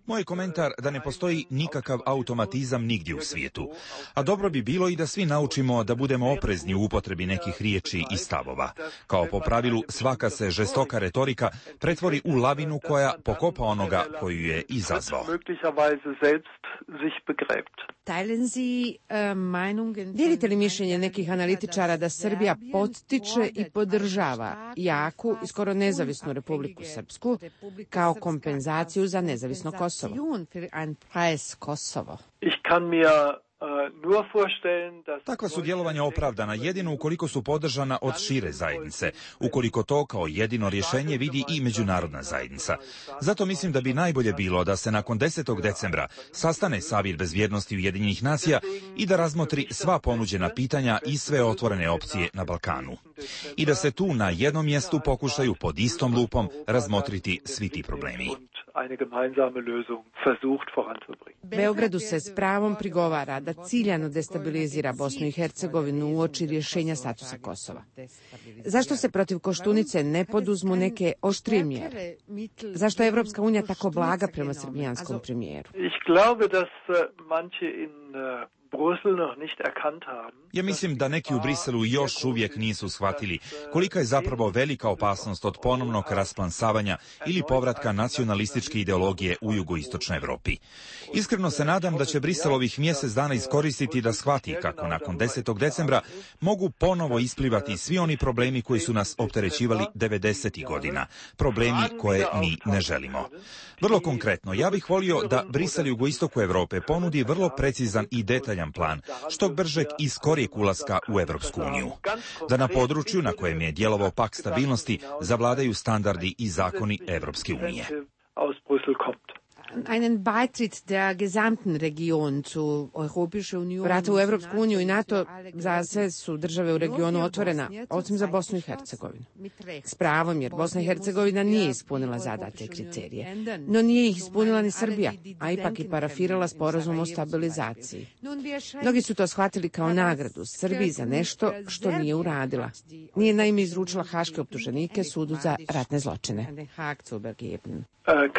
Moj komentar da ne postoji nikakav automatizam nigdje u svijetu, a dobro bi bilo i da svi naučimo da budemo oprezni u upotrebi nekih riječi i stavova. Kao po pravilu, svaka se žestoka retorika pretvori u lavinu koja pokopa onoga koju je izazvao. Dijelite li mišljenje nekih analitičara da Srbija pottiče i podržava jaku i skoro nezavisnu Republiku Srpsku kao kompenzaciju za nezavisno Kosovo? Takva su djelovanja opravdana jedino ukoliko su podržana od šire zajednice, ukoliko to kao jedino rješenje vidi i međunarodna zajednica. Zato mislim da bi najbolje bilo da se nakon 10. decembra sastane Savjet bezbjednosti Ujedinjenih nacija i da razmotri sva ponuđena pitanja i sve otvorene opcije na Balkanu. I da se tu na jednom mjestu pokušaju pod istom lupom razmotriti svi ti problemi. Beogradu se s pravom prigovara da ciljano destabilizira Bosnu i Hercegovinu uoči rješenja statusa Kosova. Zašto se protiv Koštunice ne poduzmu neke oštrije mjere? Zašto je Evropska unija tako blaga prema srbijanskom premijeru? Ja mislim da neki u Briselu još uvijek nisu shvatili kolika je zapravo velika opasnost od ponovnog rasplansavanja ili povratka nacionalističke ideologije u jugoistočnoj Europi. Iskreno se nadam da će Brisel ovih mjesec dana iskoristiti da shvati kako nakon 10. decembra mogu ponovo isplivati svi oni problemi koji su nas opterećivali 90. godina, problemi koje mi ne želimo. Vrlo konkretno, ja bih volio da Brisel jugoistoku Europe ponudi vrlo precizan i detaljan plan što bržeg i skorijeg ulaska u Evropsku uniju. Da na području na kojem je djelovao pakt stabilnosti zavladaju standardi i zakoni Evropske unije. Einen Beitritt der gesamten Region zu Europäische Union. Vrata u Evropsku uniju i NATO za sve su države u regionu otvorena, osim za Bosnu i Hercegovinu. S pravom, jer Bosna i Hercegovina nije ispunila zadate kriterije. No nije ih ispunila ni Srbija, a ipak i parafirala sporazum o stabilizaciji. Mnogi su to shvatili kao nagradu Srbiji za nešto što nije uradila. Nije naime izručila haške optuženike sudu za ratne zločine.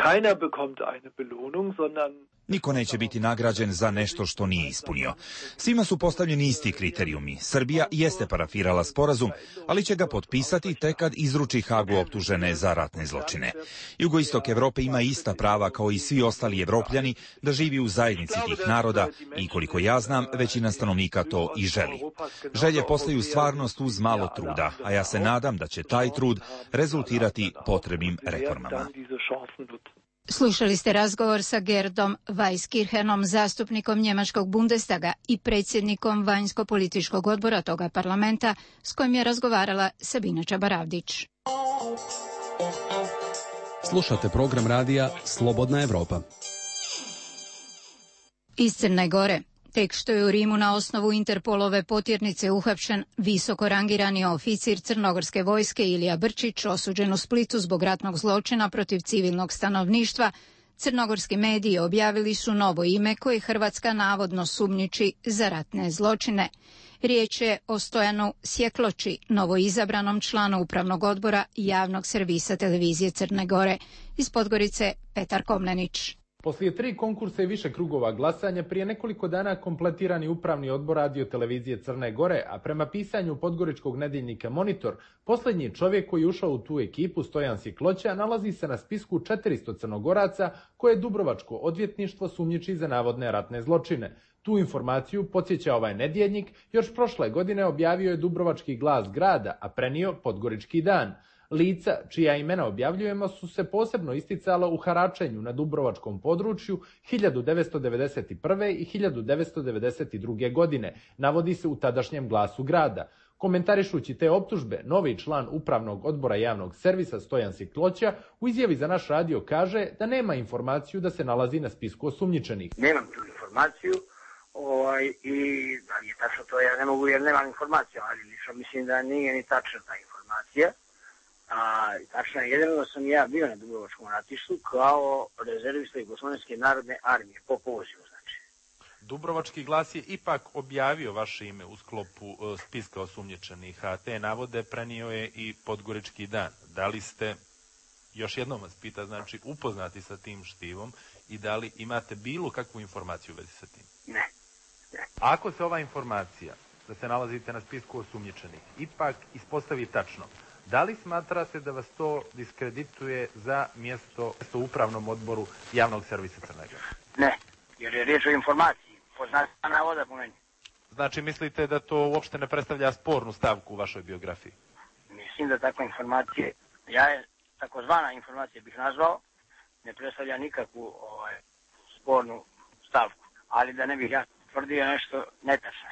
Keiner bekommt eine Belohnung, sondern Niko neće biti nagrađen za nešto što nije ispunio. Svima su postavljeni isti kriterijumi. Srbija jeste parafirala sporazum, ali će ga potpisati tek kad izruči Hagu optužene za ratne zločine. Jugoistok Evrope ima ista prava kao i svi ostali Evropljani da živi u zajednici tih naroda i koliko ja znam, većina stanovnika to i želi. Želje postaju stvarnost uz malo truda, a ja se nadam da će taj trud rezultirati potrebnim reformama. Slušali ste razgovor sa Gerdom Weiskirchenom, zastupnikom Njemačkog Bundestaga i predsjednikom vanjsko-političkog odbora toga parlamenta, s kojim je razgovarala Sabina Čabaravdić. Slušate program radija Slobodna Evropa. Iz Crne Gore. Tek što je u Rimu na osnovu Interpolove potjernice uhapšen visoko rangirani oficir crnogorske vojske Ilija Brčić, osuđen u Splitu zbog ratnog zločina protiv civilnog stanovništva, crnogorski mediji objavili su novo ime koje Hrvatska navodno sumnjiči za ratne zločine. Riječ je o Stojanu Sjekloči, novoizabranom članu upravnog odbora javnog servisa televizije Crne Gore. Iz Podgorice Petar Komlenić. Poslije 3 konkursa i više krugova glasanja, prije nekoliko dana kompletirani upravni odbor radio televizije Crne Gore, a prema pisanju podgoričkog nedeljnika Monitor, posljednji čovjek koji je ušao u tu ekipu, Stojan Sjekloća, nalazi se na spisku 400 crnogoraca koje je Dubrovačko odvjetništvo sumnjiči za navodne ratne zločine. Tu informaciju, podsjeća ovaj nedjeljnik, još prošle godine objavio je Dubrovački glas grada, a prenio Podgorički dan. Lica, čija imena objavljujemo, su se posebno isticala u haračenju na Dubrovačkom području 1991. i 1992. godine, navodi se u tadašnjem Glasu grada. Komentarišući te optužbe, novi član upravnog odbora javnog servisa Stojan Sjekloća u izjavi za naš radio kaže da nema informaciju da se nalazi na spisku osumnjičenih. Nemam tu informaciju i da li je tačno to ja ne mogu jer nemam informaciju, ali lično mislim da nije ni tačna ta informacija. Tačno je, jedino sam ja bio na Dubrovačkom ratištu kao rezervista Jugoslovenske narodne armije, po pozivu znači. Dubrovački glas je ipak objavio vaše ime u sklopu spiska osumnjičenih, a te navode prenio je i Podgorički dan. Da li ste, još jednom vas pita, znači upoznati sa tim štivom i da li imate bilo kakvu informaciju u vezi sa tim? Ne. Ako se ova informacija da se nalazite na spisku osumnjičenih ipak ispostavi tačno, da li smatrate da vas to diskredituje za mjesto u upravnom odboru javnog servisa Crne Gore? Ne, jer je riječ o informaciji, poznata navoda po meni. Znači mislite da to uopšte ne predstavlja spornu stavku u vašoj biografiji? Mislim da takva informacija, ja je takozvana informacija bih nazvao, ne predstavlja nikakvu spornu stavku, ali da ne bih ja tvrdio nešto netačno.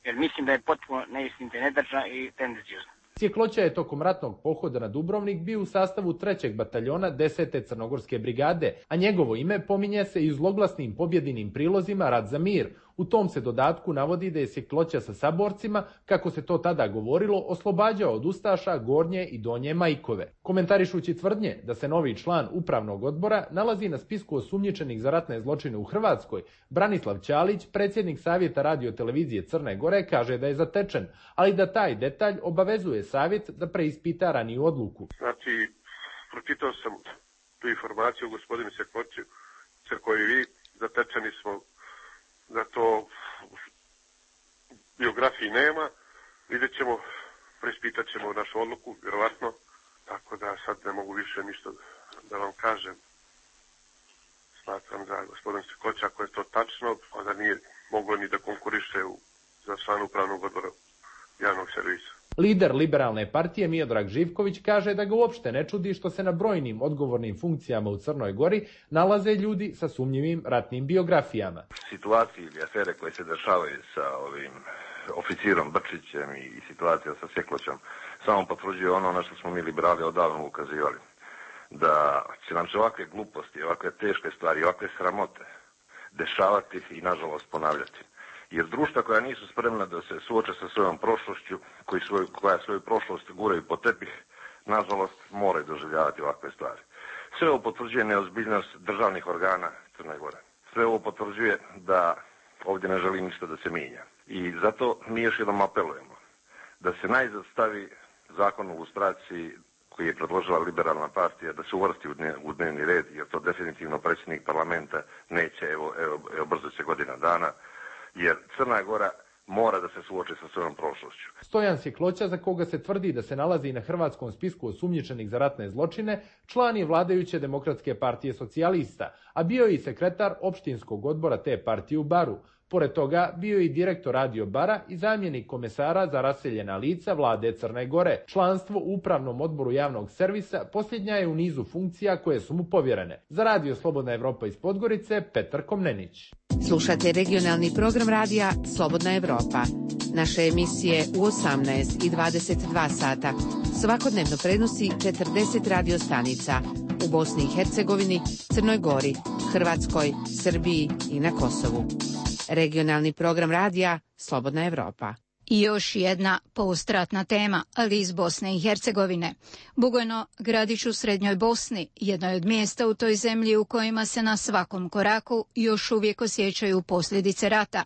Jer mislim da je potpuno neistinita i netačna i tendenciozna. Sjekloća je tokom ratnog pohoda na Dubrovnik bio u sastavu 3. bataljona 10. Crnogorske brigade, a njegovo ime pominje se i u zloglasnim pobjedinim prilozima Rat za mir. U tom se dodatku navodi da je Sjekloća sa saborcima, kako se to tada govorilo, oslobađao od ustaša Gornje i Donje Majkove. Komentarišući tvrdnje da se novi član upravnog odbora nalazi na spisku osumnjičenih za ratne zločine u Hrvatskoj, Branislav Ćalić, predsjednik Savjeta radiotelevizije Crne Gore, kaže da je zatečen, ali da taj detalj obavezuje Savjet da preispita raniju odluku. Znači, pročitao sam tu informaciju gospodinu Sjekloću, koji vi, zatečeni smo, da to u biografiji nema, vidjet ćemo, preispitat ćemo našu odluku, vjerovatno, tako da sad ne mogu više ništa da vam kažem. Smatram da gospodin Sjekloća, ako je to tačno, onda nije moglo ni da konkuriše za član upravnog odbora javnog servisa. Lider liberalne partije Miodrag Živković kaže da ga uopšte ne čudi što se na brojnim odgovornim funkcijama u Crnoj Gori nalaze ljudi sa sumnjivim ratnim biografijama. Situacije ili afere koje se dešavaju sa ovim oficirom Brčićem i situacija sa Sjekloćom samo potvrđuje ono na što smo mi liberali odavno ukazivali. Da će nam se ovakve gluposti, ovakve teške stvari, ovakve sramote dešavati i nažalost ponavljati. Jer društva koja nisu spremna da se suoče sa svojom prošlošću, koja svoju prošlost guraju po tepih, nažalost moraju doživljavati ovakve stvari. Sve ovo potvrđuje neozbiljnost državnih organa Crne Gore. Sve ovo potvrđuje da ovdje ne želi ništa da se mijenja. I zato mi još jednom apelujemo da se najzad stavi zakon o lustraciji koji je predložila liberalna partija, da se uvrsti u dnevni red, jer to definitivno predsjednik parlamenta neće, evo brzo će godina dana, jer Crna Gora mora da se suoči sa svojom prošlošću. Stojan Sjekloća, za koga se tvrdi da se nalazi na hrvatskom spisku osumnjičenih za ratne zločine, član je vladajuće Demokratske partije socijalista, a bio je i sekretar opštinskog odbora te partije u Baru. Pored toga bio je i direktor Radio Bara i zamjenik komesara za raseljena lica vlade Crne Gore. Članstvo u upravnom odboru javnog servisa posljednja je u nizu funkcija koje su mu povjerene. Za Radio Slobodna Evropa iz Podgorice, Petar Komnenić. Slušate regionalni program radija Slobodna Evropa. Naše emisije u 18 i 22 sata svakodnevno prenosi 40 radio stanica u Bosni i Hercegovini, Crnoj Gori, Hrvatskoj, Srbiji i na Kosovu. Regionalni program radija Slobodna Evropa. I još jedna postratna tema, ali iz Bosne i Hercegovine. Bugojno gradić u Srednjoj Bosni, jedno je od mjesta u toj zemlji u kojima se na svakom koraku još uvijek osjećaju posljedice rata.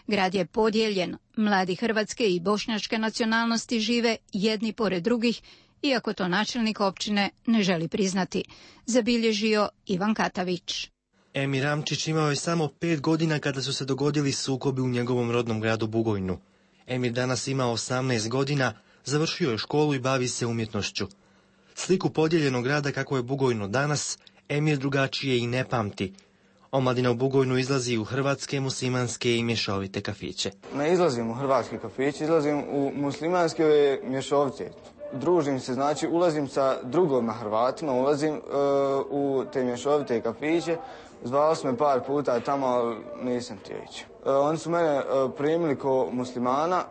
Grad je podijeljen, mladi hrvatske i bošnjačke nacionalnosti žive jedni pored drugih, iako to načelnik općine ne želi priznati, zabilježio Ivan Katavić. Emir Amčić imao je samo 5 godina kada su se dogodili sukobi u njegovom rodnom gradu Bugojnu. Emir danas ima 18 godina, završio je školu i bavi se umjetnošću. Sliku podijeljenog grada kako je Bugojno danas, Emir drugačije i ne pamti. Omladina u Bugojnu izlazi u hrvatske, muslimanske i mješovite kafiće. Ne izlazim u hrvatski kafić, izlazim u muslimanske mješovite. Družim se, znači ulazim sa drugovima Hrvatima, ulazim u te mješovite kafiće. Zvali su me par puta tamo, ali nisam htio ići. Oni su mene primili ko muslimana,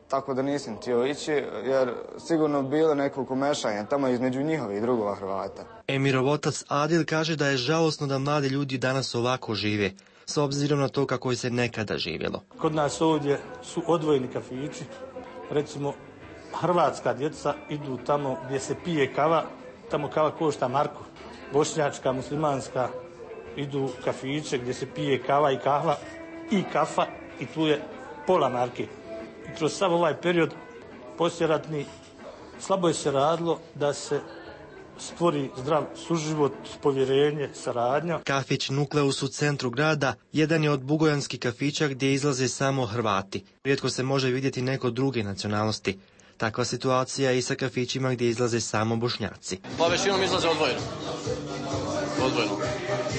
tako da nisam htio ići, jer sigurno bilo nekog komešanja tamo između njihovih drugova Hrvata. Emirov otac Adil kaže da je žalosno da mladi ljudi danas ovako žive, s obzirom na to kako je se nekada živjelo. Kod nas ovdje su odvojeni kafići, recimo hrvatska djeca idu tamo gdje se pije kava, tamo kava košta marku. Bošnjačka, muslimanska idu u kafiće gdje se pije kava i kahva i kafa i tu je pola marke. I kroz sav ovaj period poslijeratni slabo je se radilo da se stvori zdrav suživot, povjerenje, saradnja. Kafić Nukleus u centru grada jedan je od bugojanskih kafića gdje izlaze samo Hrvati. Rijetko se može vidjeti neko druge nacionalnosti. Takva situacija je i sa kafićima gdje izlaze samo Bošnjaci. Pa većinom izlaze odvojeno.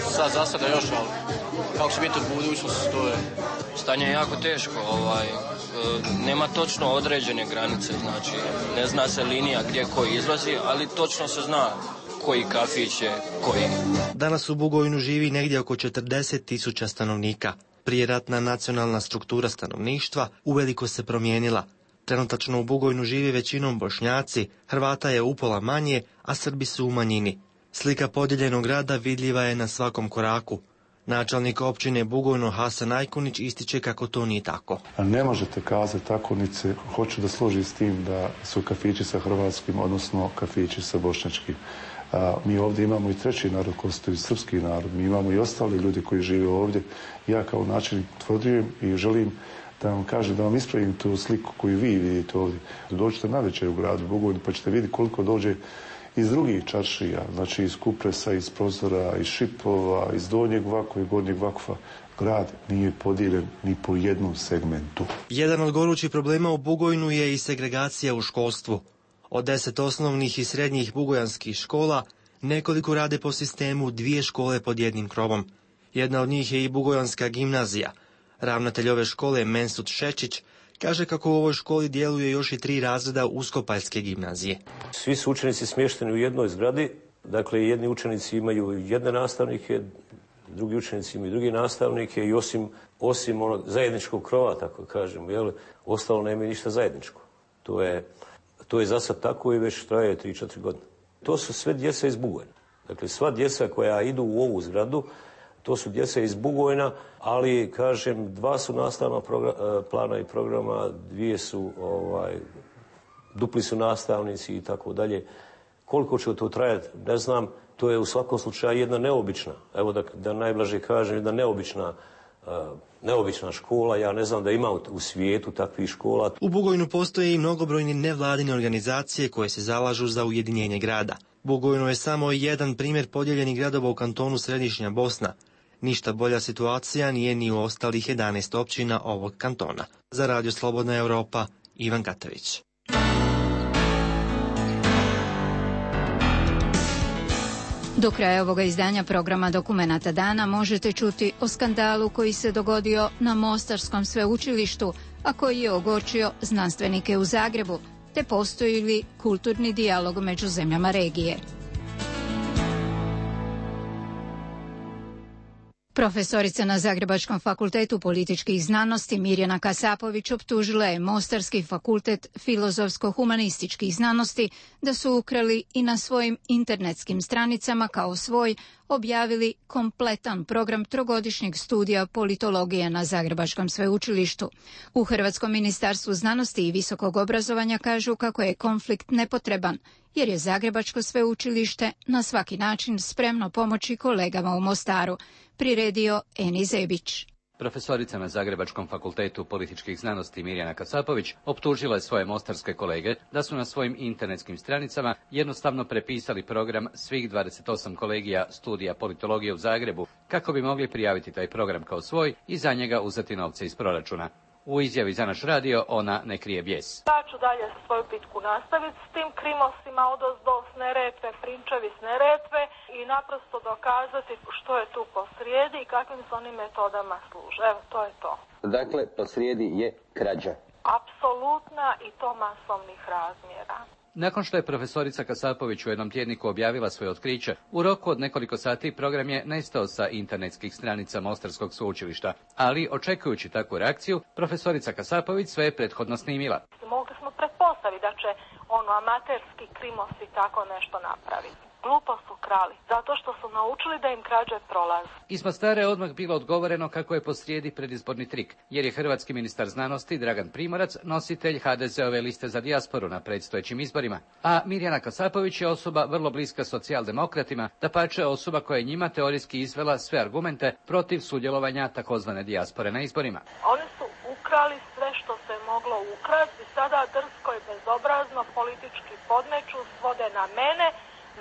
Sad za sada još, ali kako će biti u budućnosti, to je stanje je jako teško. Nema točno određene granice, znači ne zna se linija gdje koji izlazi, ali točno se zna koji kafić je koji. Danas u Bugojnu živi negdje oko 40.000 stanovnika. Prijeratna nacionalna struktura stanovništva uveliko se promijenila. Trenutačno u Bugojnu živi većinom Bošnjaci, Hrvata je upola manje, a Srbi su u manjini. Slika podijeljenog grada vidljiva je na svakom koraku. Načelnik općine Bugojno Hasan Ajkunić ističe kako to nije tako. Ne možete kazati tako, niti se hoću da složi s tim da su kafići sa hrvatskim, odnosno kafići sa bošnjačkim. Mi ovdje imamo i treći narod, koji srpski narod. Mi imamo i ostali ljudi koji žive ovdje. Ja kao načelnik tvrdim i želim da vam kažem, da vam ispravim tu sliku koju vi vidite ovdje. Dođite navečer u gradu Bugojnu pa ćete vidjeti koliko dođe iz drugih čaršija, znači iz Kupresa, iz Prozora, iz Šipova, iz Donjeg Vakfa i Gornjeg Vakfa. Grad nije podijeljen ni po jednom segmentu. Jedan od gorućih problema u Bugojnu je i segregacija u školstvu. Od 10 osnovnih i srednjih bugojanskih škola, nekoliko rade po sistemu 2 škole pod jednim krovom. Jedna od njih je i Bugojanska gimnazija. Ravnatelj ove škole Mensud Šečić kaže kako u ovoj školi djeluje još i 3 razreda Uskopaljske gimnazije. Svi su učenici smješteni u jednoj zgradi, dakle jedni učenici imaju jedne nastavnike, drugi učenici imaju druge nastavnike i osim onog zajedničkog krova, tako kažemo, ostalo nema ništa zajedničko. To je za sad tako i već traje 3-4 godine. To su sve djeca iz Bugojna. Dakle, sva djeca koja idu u ovu zgradu, to su djeca iz Bugojna, ali, kažem, 2 su nastavna plana i programa, 2 su, dupli su nastavnici i tako dalje. Koliko će to trajati, ne znam, to je u svakom slučaju jedna neobična, evo da najblaže kažem, jedna neobična škola, ja ne znam da ima u svijetu takvih škola. U Bugojnu postoje i mnogobrojne nevladine organizacije koje se zalažu za ujedinjenje grada. Bugojno je samo jedan primjer podijeljenih gradova u kantonu Središnja Bosna. Ništa bolja situacija nije ni u ostalih 11 općina ovog kantona. Za Radio Slobodna Europa, Ivan Katović. Do kraja ovoga izdanja programa Dokumenata dana možete čuti o skandalu koji se dogodio na Mostarskom sveučilištu, a koji je ogorčio znanstvenike u Zagrebu, te postoji li kulturni dijalog među zemljama regije. Profesorica na Zagrebačkom fakultetu političkih znanosti Mirjana Kasapović optužila je Mostarski fakultet filozofsko-humanističkih znanosti da su ukrali i na svojim internetskim stranicama kao svoj objavili kompletan program trogodišnjeg studija politologije na Zagrebačkom sveučilištu. U Hrvatskom ministarstvu znanosti i visokog obrazovanja kažu kako je konflikt nepotreban, jer je Zagrebačko sveučilište na svaki način spremno pomoći kolegama u Mostaru, priredio Eni Zebić. Profesorica na Zagrebačkom fakultetu političkih znanosti Mirjana Kasapović optužila je svoje mostarske kolege da su na svojim internetskim stranicama jednostavno prepisali program svih 28 kolegija studija politologije u Zagrebu kako bi mogli prijaviti taj program kao svoj i za njega uzeti novce iz proračuna. U izjavi za naš radio ona ne krije bijes. Ja ću dalje svoju bitku nastaviti s tim krimosima odozdo s Neretve, prinčevi s Neretve i naprosto dokazati što je tu posrijedi i kakvim se oni metodama služe. Evo, to je to. Dakle, posrijedi je krađa. Apsolutna i to masovnih razmjera. Nakon što je profesorica Kasapović u jednom tjedniku objavila svoje otkriće, u roku od nekoliko sati program je nestao sa internetskih stranica Mostarskog sveučilišta, ali očekujući takvu reakciju, profesorica Kasapović sve je prethodno snimila. Mogli smo pretpostaviti da će amaterski krimos i tako nešto napraviti. Glupo su krali, zato što su naučili da im krađe prolaze. Iz Mostara je odmah bilo odgovoreno kako je posrijedi predizborni trik, jer je hrvatski ministar znanosti Dragan Primorac nositelj HDZ-ove liste za dijasporu na predstojećim izborima, a Mirjana Kasapović je osoba vrlo bliska socijaldemokratima, dapače osoba koja je njima teorijski izvela sve argumente protiv sudjelovanja takozvane dijaspore na izborima. Oni su ukrali sve što se moglo ukrasti, sada drsko i bezobrazno politički podmeću, svode na mene,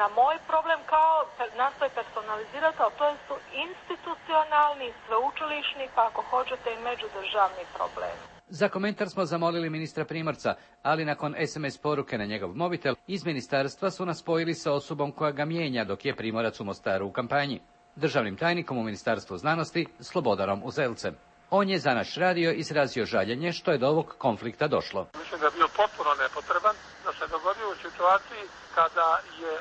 na moj problem kao nastoje personalizirati, ali to su institucionalni, sveučilišni, pa ako hoćete i međudržavni problemi. Za komentar smo zamolili ministra Primorca, ali nakon SMS poruke na njegov mobitel iz ministarstva su nas spojili sa osobom koja ga mijenja dok je Primorac u Mostaru u kampanji, državnim tajnikom u Ministarstvu znanosti Slobodarom Uzelcem. On je za naš radio izrazio žaljenje što je do ovog konflikta došlo. Mislim da je bio potpuno nepotreban, da se dogodio u situaciji kada je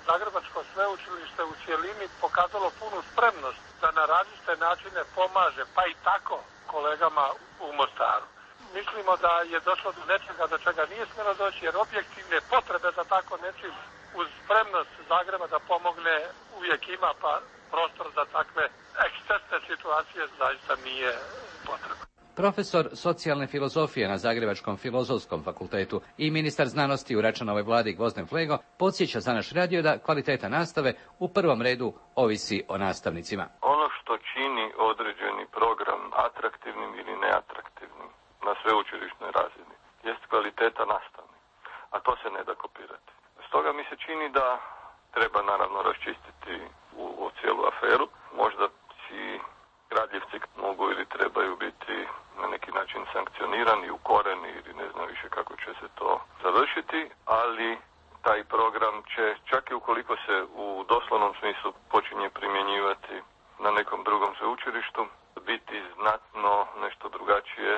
Zagrebačko sveučilište u cjelini pokazalo punu spremnost da na različite načine pomaže, pa i tako, kolegama u Mostaru. Mislimo da je došlo do nečega do čega nije smjelo doći, jer objektivne potrebe za tako nečim uz spremnost Zagreba da pomogne uvijek ima, pa prostor za takve ekscesne situacije zaista nije potrebno. Profesor socijalne filozofije na Zagrebačkom filozofskom fakultetu i ministar znanosti u Račanovoj vladi Gvozden Flego podsjeća za naš radio da kvaliteta nastave u prvom redu ovisi o nastavnicima. Ono što čini određeni program atraktivnim ili neatraktivnim na sveučilišnoj razini jest kvaliteta nastave, a to se ne da kopirati. Stoga mi se čini da treba naravno raščistiti u cijelu aferu. Možda si kradljivci mogu ili trebaju biti na neki način sankcionirani, ukoreni ili ne znam više kako će se to završiti, ali taj program će, čak i ukoliko se u doslovnom smislu počinje primjenjivati na nekom drugom sveučilištu, biti znatno nešto drugačije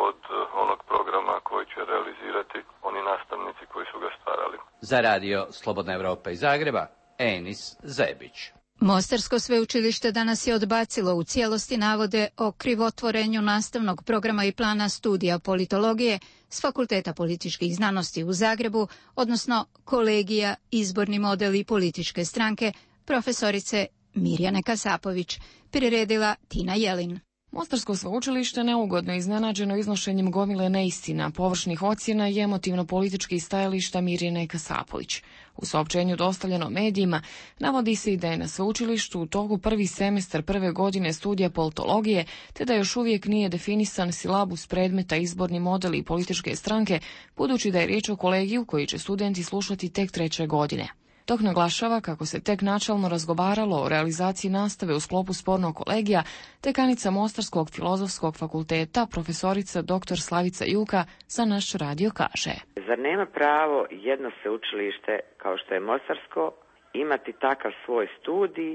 od onog programa koji će realizirati oni nastavnici koji su ga stvarali. Za radio Slobodna Evropa iz Zagreba, Enis Zebić. Mostarsko sveučilište danas je odbacilo u cijelosti navode o krivotvorenju nastavnog programa i plana studija politologije s Fakulteta političkih znanosti u Zagrebu, odnosno kolegija Izborni model i političke stranke profesorice Mirjane Kasapović, priredila Tina Jelin. Mostarsko sveučilište neugodno iznenađeno iznošenjem gomile neistina, površnih ocjena i emotivno-političkih stajališta Mirjane Kasapović. U saopćenju dostavljeno medijima navodi se i da je na sveučilištu u toku prvi semestar prve godine studija politologije, te da još uvijek nije definisan silabus predmeta izborni model i političke stranke, budući da je riječ o kolegiju koji će studenti slušati tek 3. godine. Dok naglašava kako se tek načelno razgovaralo o realizaciji nastave u sklopu spornog kolegija, dekanica Mostarskog filozofskog fakulteta, profesorica dr. Slavica Juka, za naš radio kaže: Zar nema pravo jedno sveučilište kao što je Mostarsko imati takav svoj studij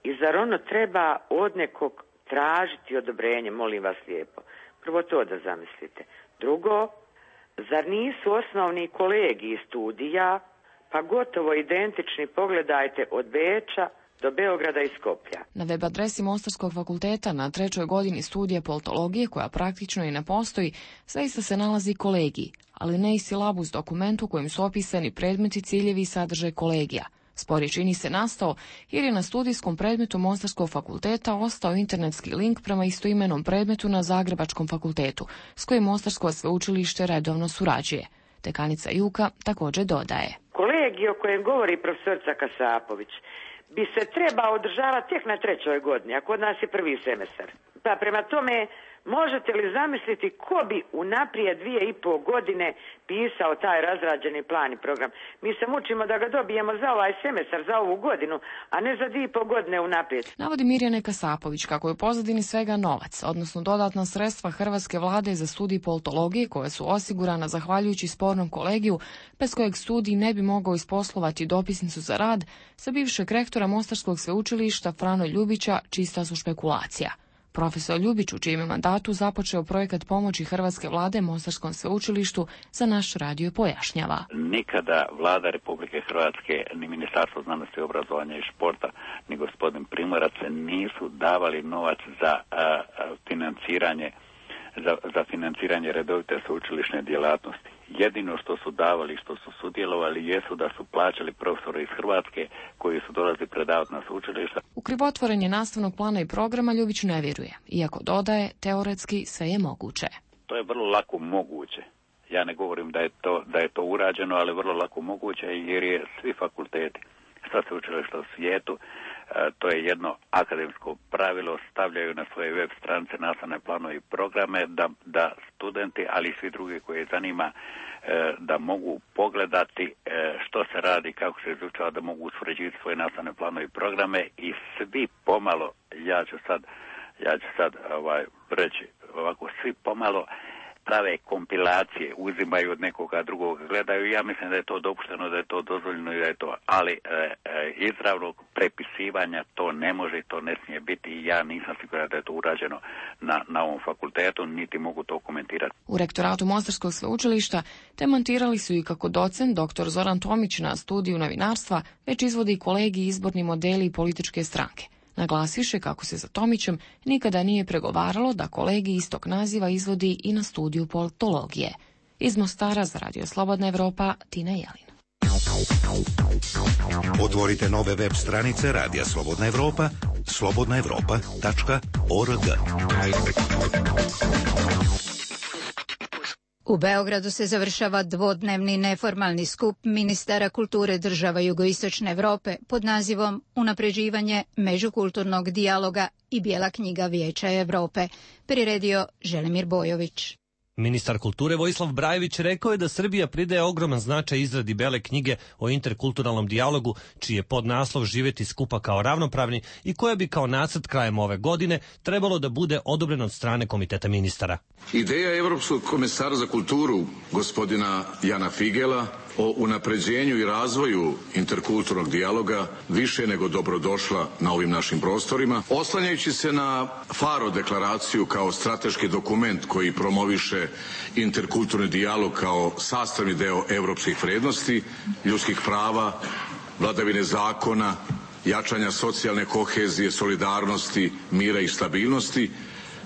i zar ono treba od nekog tražiti odobrenje, molim vas lijepo. Prvo to da zamislite. Drugo, zar nisu osnovni kolegiji studija pa gotovo identični, pogledajte, od Beča do Beograda i Skoplja. Na web adresi Mostarskog fakulteta na 3. godini studija politologije, koja praktično i ne postoji, zaista se nalazi kolegij, ali ne i silabus dokument u kojem su opisani predmeti, ciljevi i sadržaj kolegija. Spor je, čini se, nastao jer je na studijskom predmetu Mostarskog fakulteta ostao internetski link prema istoimenom predmetu na Zagrebačkom fakultetu, s kojim Mostarsko sveučilište redovno surađuje. Dekanica Juka također dodaje: Kolegij o kojem govori profesorica Kasapović bi se trebao održavati tek na 3. godini, a kod nas je prvi semestar. Pa prema tome, možete li zamisliti ko bi unaprijed 2,5 godine pisao taj razrađeni plan i program? Mi se mučimo da ga dobijemo za ovaj semestar, za ovu godinu, a ne za 2,5 godine unaprijed. Navodi Mirjana Kasapović kako je u pozadini svega novac, odnosno dodatna sredstva hrvatske vlade za studij politologije, koja su osigurana zahvaljujući spornom kolegiju, bez kojeg studij ne bi mogao isposlovati dopisnicu za rad, sa bivšeg rektora Mostarskog sveučilišta Frano Ljubića čista su špekulacija. Profesor Ljubić, u čijem mandatu započeo projekat pomoći hrvatske vlade Mostarskom sveučilištu, za naš radio pojašnjava: Nikada vlada Republike Hrvatske, ni Ministarstvo znanosti, obrazovanja i športa, ni gospodin Primorac nisu davali novac za financiranje redovite sveučilišne djelatnosti. Jedino što su davali, što su sudjelovali, jesu da su plaćali profesore iz Hrvatske koji su dolazili predavati na sveučilišta. U krivotvorenje nastavnog plana i programa Ljubić ne vjeruje, iako dodaje, teoretski sve je moguće. To je vrlo lako moguće. Ja ne govorim da je to urađeno, ali vrlo lako moguće jer je svi fakulteti, sva sveučilišta u svijetu, to je jedno akademsko pravilo, stavljaju na svoje web stranice nastavne planove i programe da studenti, ali i svi drugi koji zanima da mogu pogledati što se radi, kako se izučava, da mogu uspoređivati svoje nastavne planove i programe i svi pomalo, ja ću sad reći ovako, svi pomalo prave kompilacije, uzimaju od nekoga drugog, gledaju. Ja mislim da je to dopušteno, da je to dozvoljeno i da je to, ali izravnog prepisivanja to ne može i to ne smije biti i ja nisam siguran da je to urađeno na ovom fakultetu, niti mogu to komentirati. U rektoratu Mostarskog sveučilišta demantirali su i kako docent dr. Zoran Tomić na studiju novinarstva već izvodi kolegij izborni modeli i političke stranke. Naglasivši kako se za Tomićem nikada nije pregovaralo da kolegi istog naziva izvodi i na studiju politologije. Iz Mostara za Radio Slobodna Evropa, Tina Jelin. Otvorite nove web stranice Radija Slobodna Evropa, slobodnaevropa.org. U Beogradu se završava dvodnevni neformalni skup ministara kulture država Jugoistočne Evrope pod nazivom Unapređivanje međukulturnog dijaloga i Bijela knjiga Vijeća Evrope, priredio Želimir Bojović. Ministar kulture Vojislav Brajević rekao je da Srbija pridaje ogroman značaj izradi Bele knjige o interkulturalnom dijalogu, čiji je podnaslov Živjeti skupa kao ravnopravni i koja bi kao nacrt krajem ove godine trebalo da bude odobren od strane Komiteta ministara. Ideja Evropskog komesara za kulturu, gospodina Jana Figela, o unapređenju i razvoju interkulturnog dijaloga više nego dobrodošla na ovim našim prostorima. Oslanjajući se na Faro deklaraciju kao strateški dokument koji promoviše interkulturni dijalog kao sastavni deo evropskih vrednosti, ljudskih prava, vladavine zakona, jačanja socijalne kohezije, solidarnosti, mira i stabilnosti,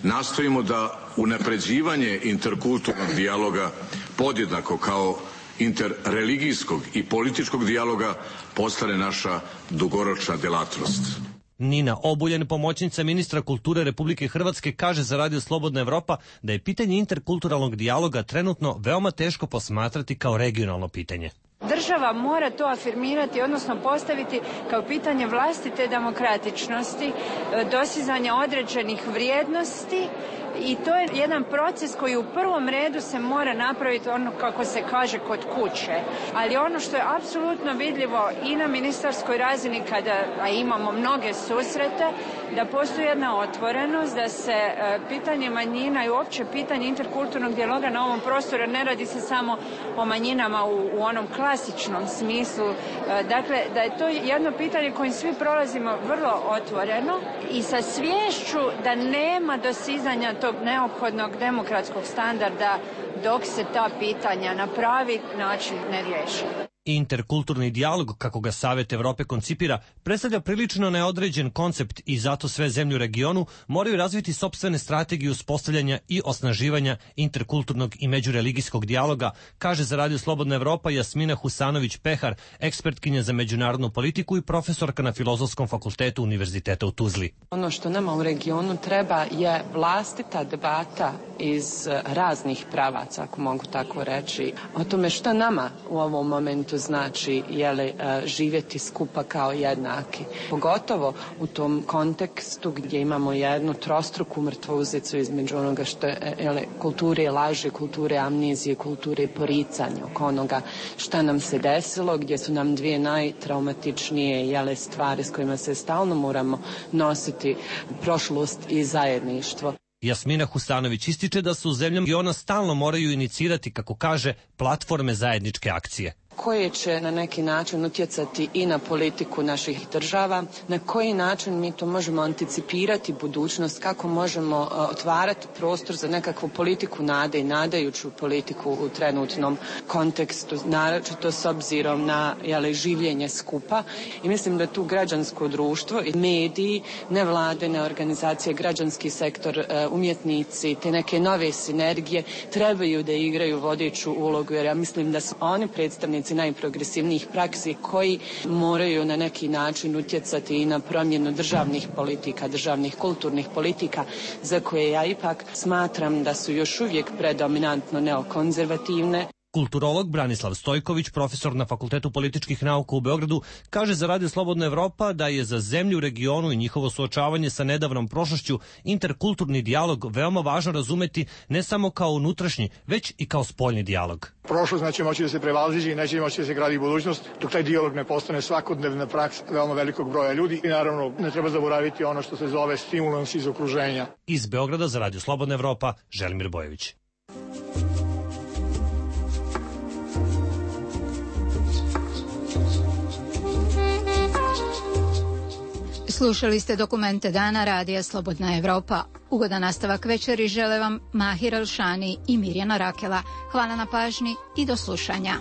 nastojimo da unapređivanje interkulturnog dijaloga podjednako kao interreligijskog i političkog dijaloga postane naša dugoročna delatnost. Nina Obuljen, pomoćnica ministra kulture Republike Hrvatske, kaže za Radio Slobodna Evropa da je pitanje interkulturalnog dijaloga trenutno veoma teško posmatrati kao regionalno pitanje. Država mora to afirmirati, odnosno postaviti kao pitanje vlastite demokratičnosti, dostizanja određenih vrijednosti i to je jedan proces koji u prvom redu se mora napraviti ono kako se kaže kod kuće. Ali ono što je apsolutno vidljivo i na ministarskoj razini a imamo mnoge susrete, da postoji jedna otvorenost, da se pitanje manjina i uopće pitanje interkulturnog dijaloga na ovom prostoru ne radi se samo o manjinama u onom klasičnom smislu. Dakle, da je to jedno pitanje kojim svi prolazimo vrlo otvoreno i sa sviješću da nema dosizanja tog neophodnog demokratskog standarda dok se ta pitanja na pravi način ne riješe. Interkulturni dijalog, kako ga Savet Evrope koncipira, predstavlja prilično neodređen koncept i zato sve zemlje u regionu moraju razviti sopstvene strategije uspostavljanja i osnaživanja interkulturnog i međureligijskog dijaloga, kaže za Radio Slobodna Evropa Jasmina Husanović-Pehar, ekspertkinja za međunarodnu politiku i profesorka na Filozofskom fakultetu Univerziteta u Tuzli. Ono što nama u regionu treba je vlastita debata iz raznih pravaca, ako mogu tako reći, o tome šta nama u ovom momentu znači živjeti skupa kao jednaki. Pogotovo u tom kontekstu gdje imamo jednu trostruku mrtvouzicu između onoga što je kulture laži, kulture amnezije, kulture poricanja, oko onoga šta nam se desilo, gdje su nam dvije najtraumatičnije stvari s kojima se stalno moramo nositi, prošlost i zajedništvo. Jasmina Husanović ističe da su u zemljama regiona stalno moraju inicirati, kako kaže, platforme zajedničke akcije. koje će na neki način utjecati i na politiku naših država, na koji način mi to možemo anticipirati budućnost, kako možemo otvarati prostor za nekakvu politiku nade i nadajuću politiku u trenutnom kontekstu, naročito s obzirom na življenje skupa. I mislim da tu građansko društvo i mediji, nevladine organizacije, građanski sektor, umjetnici, te neke nove sinergije trebaju da igraju vodeću ulogu, jer ja mislim da su oni predstavnici najprogresivnijih praksi koji moraju na neki način utjecati i na promjenu državnih politika, državnih kulturnih politika, za koje ja ipak smatram da su još uvijek predominantno neokonzervativne. Kulturolog Branislav Stojković, profesor na Fakultetu političkih nauka u Beogradu, kaže za Radio Slobodna Evropa da je za zemlju u regionu i njihovo suočavanje sa nedavnom prošlošću interkulturni dijalog veoma važno razumeti ne samo kao unutrašnji, već i kao spoljni dijalog. Prošlost neće moći da se prevaziđe i neće moći da se gradi budućnost dok taj dijalog ne postane svakodnevna praksa veoma velikog broja ljudi i naravno ne treba zaboraviti ono što se zove stimulans iz okruženja. Iz Beograda za Radio Slobodna Evropa, Želimir Bojević. Slušali ste dokumente dana Radija Slobodna Evropa. Ugodan nastavak večeri žele vam Mahir Alšani i Mirjana Rakela. Hvala na pažnji i do slušanja.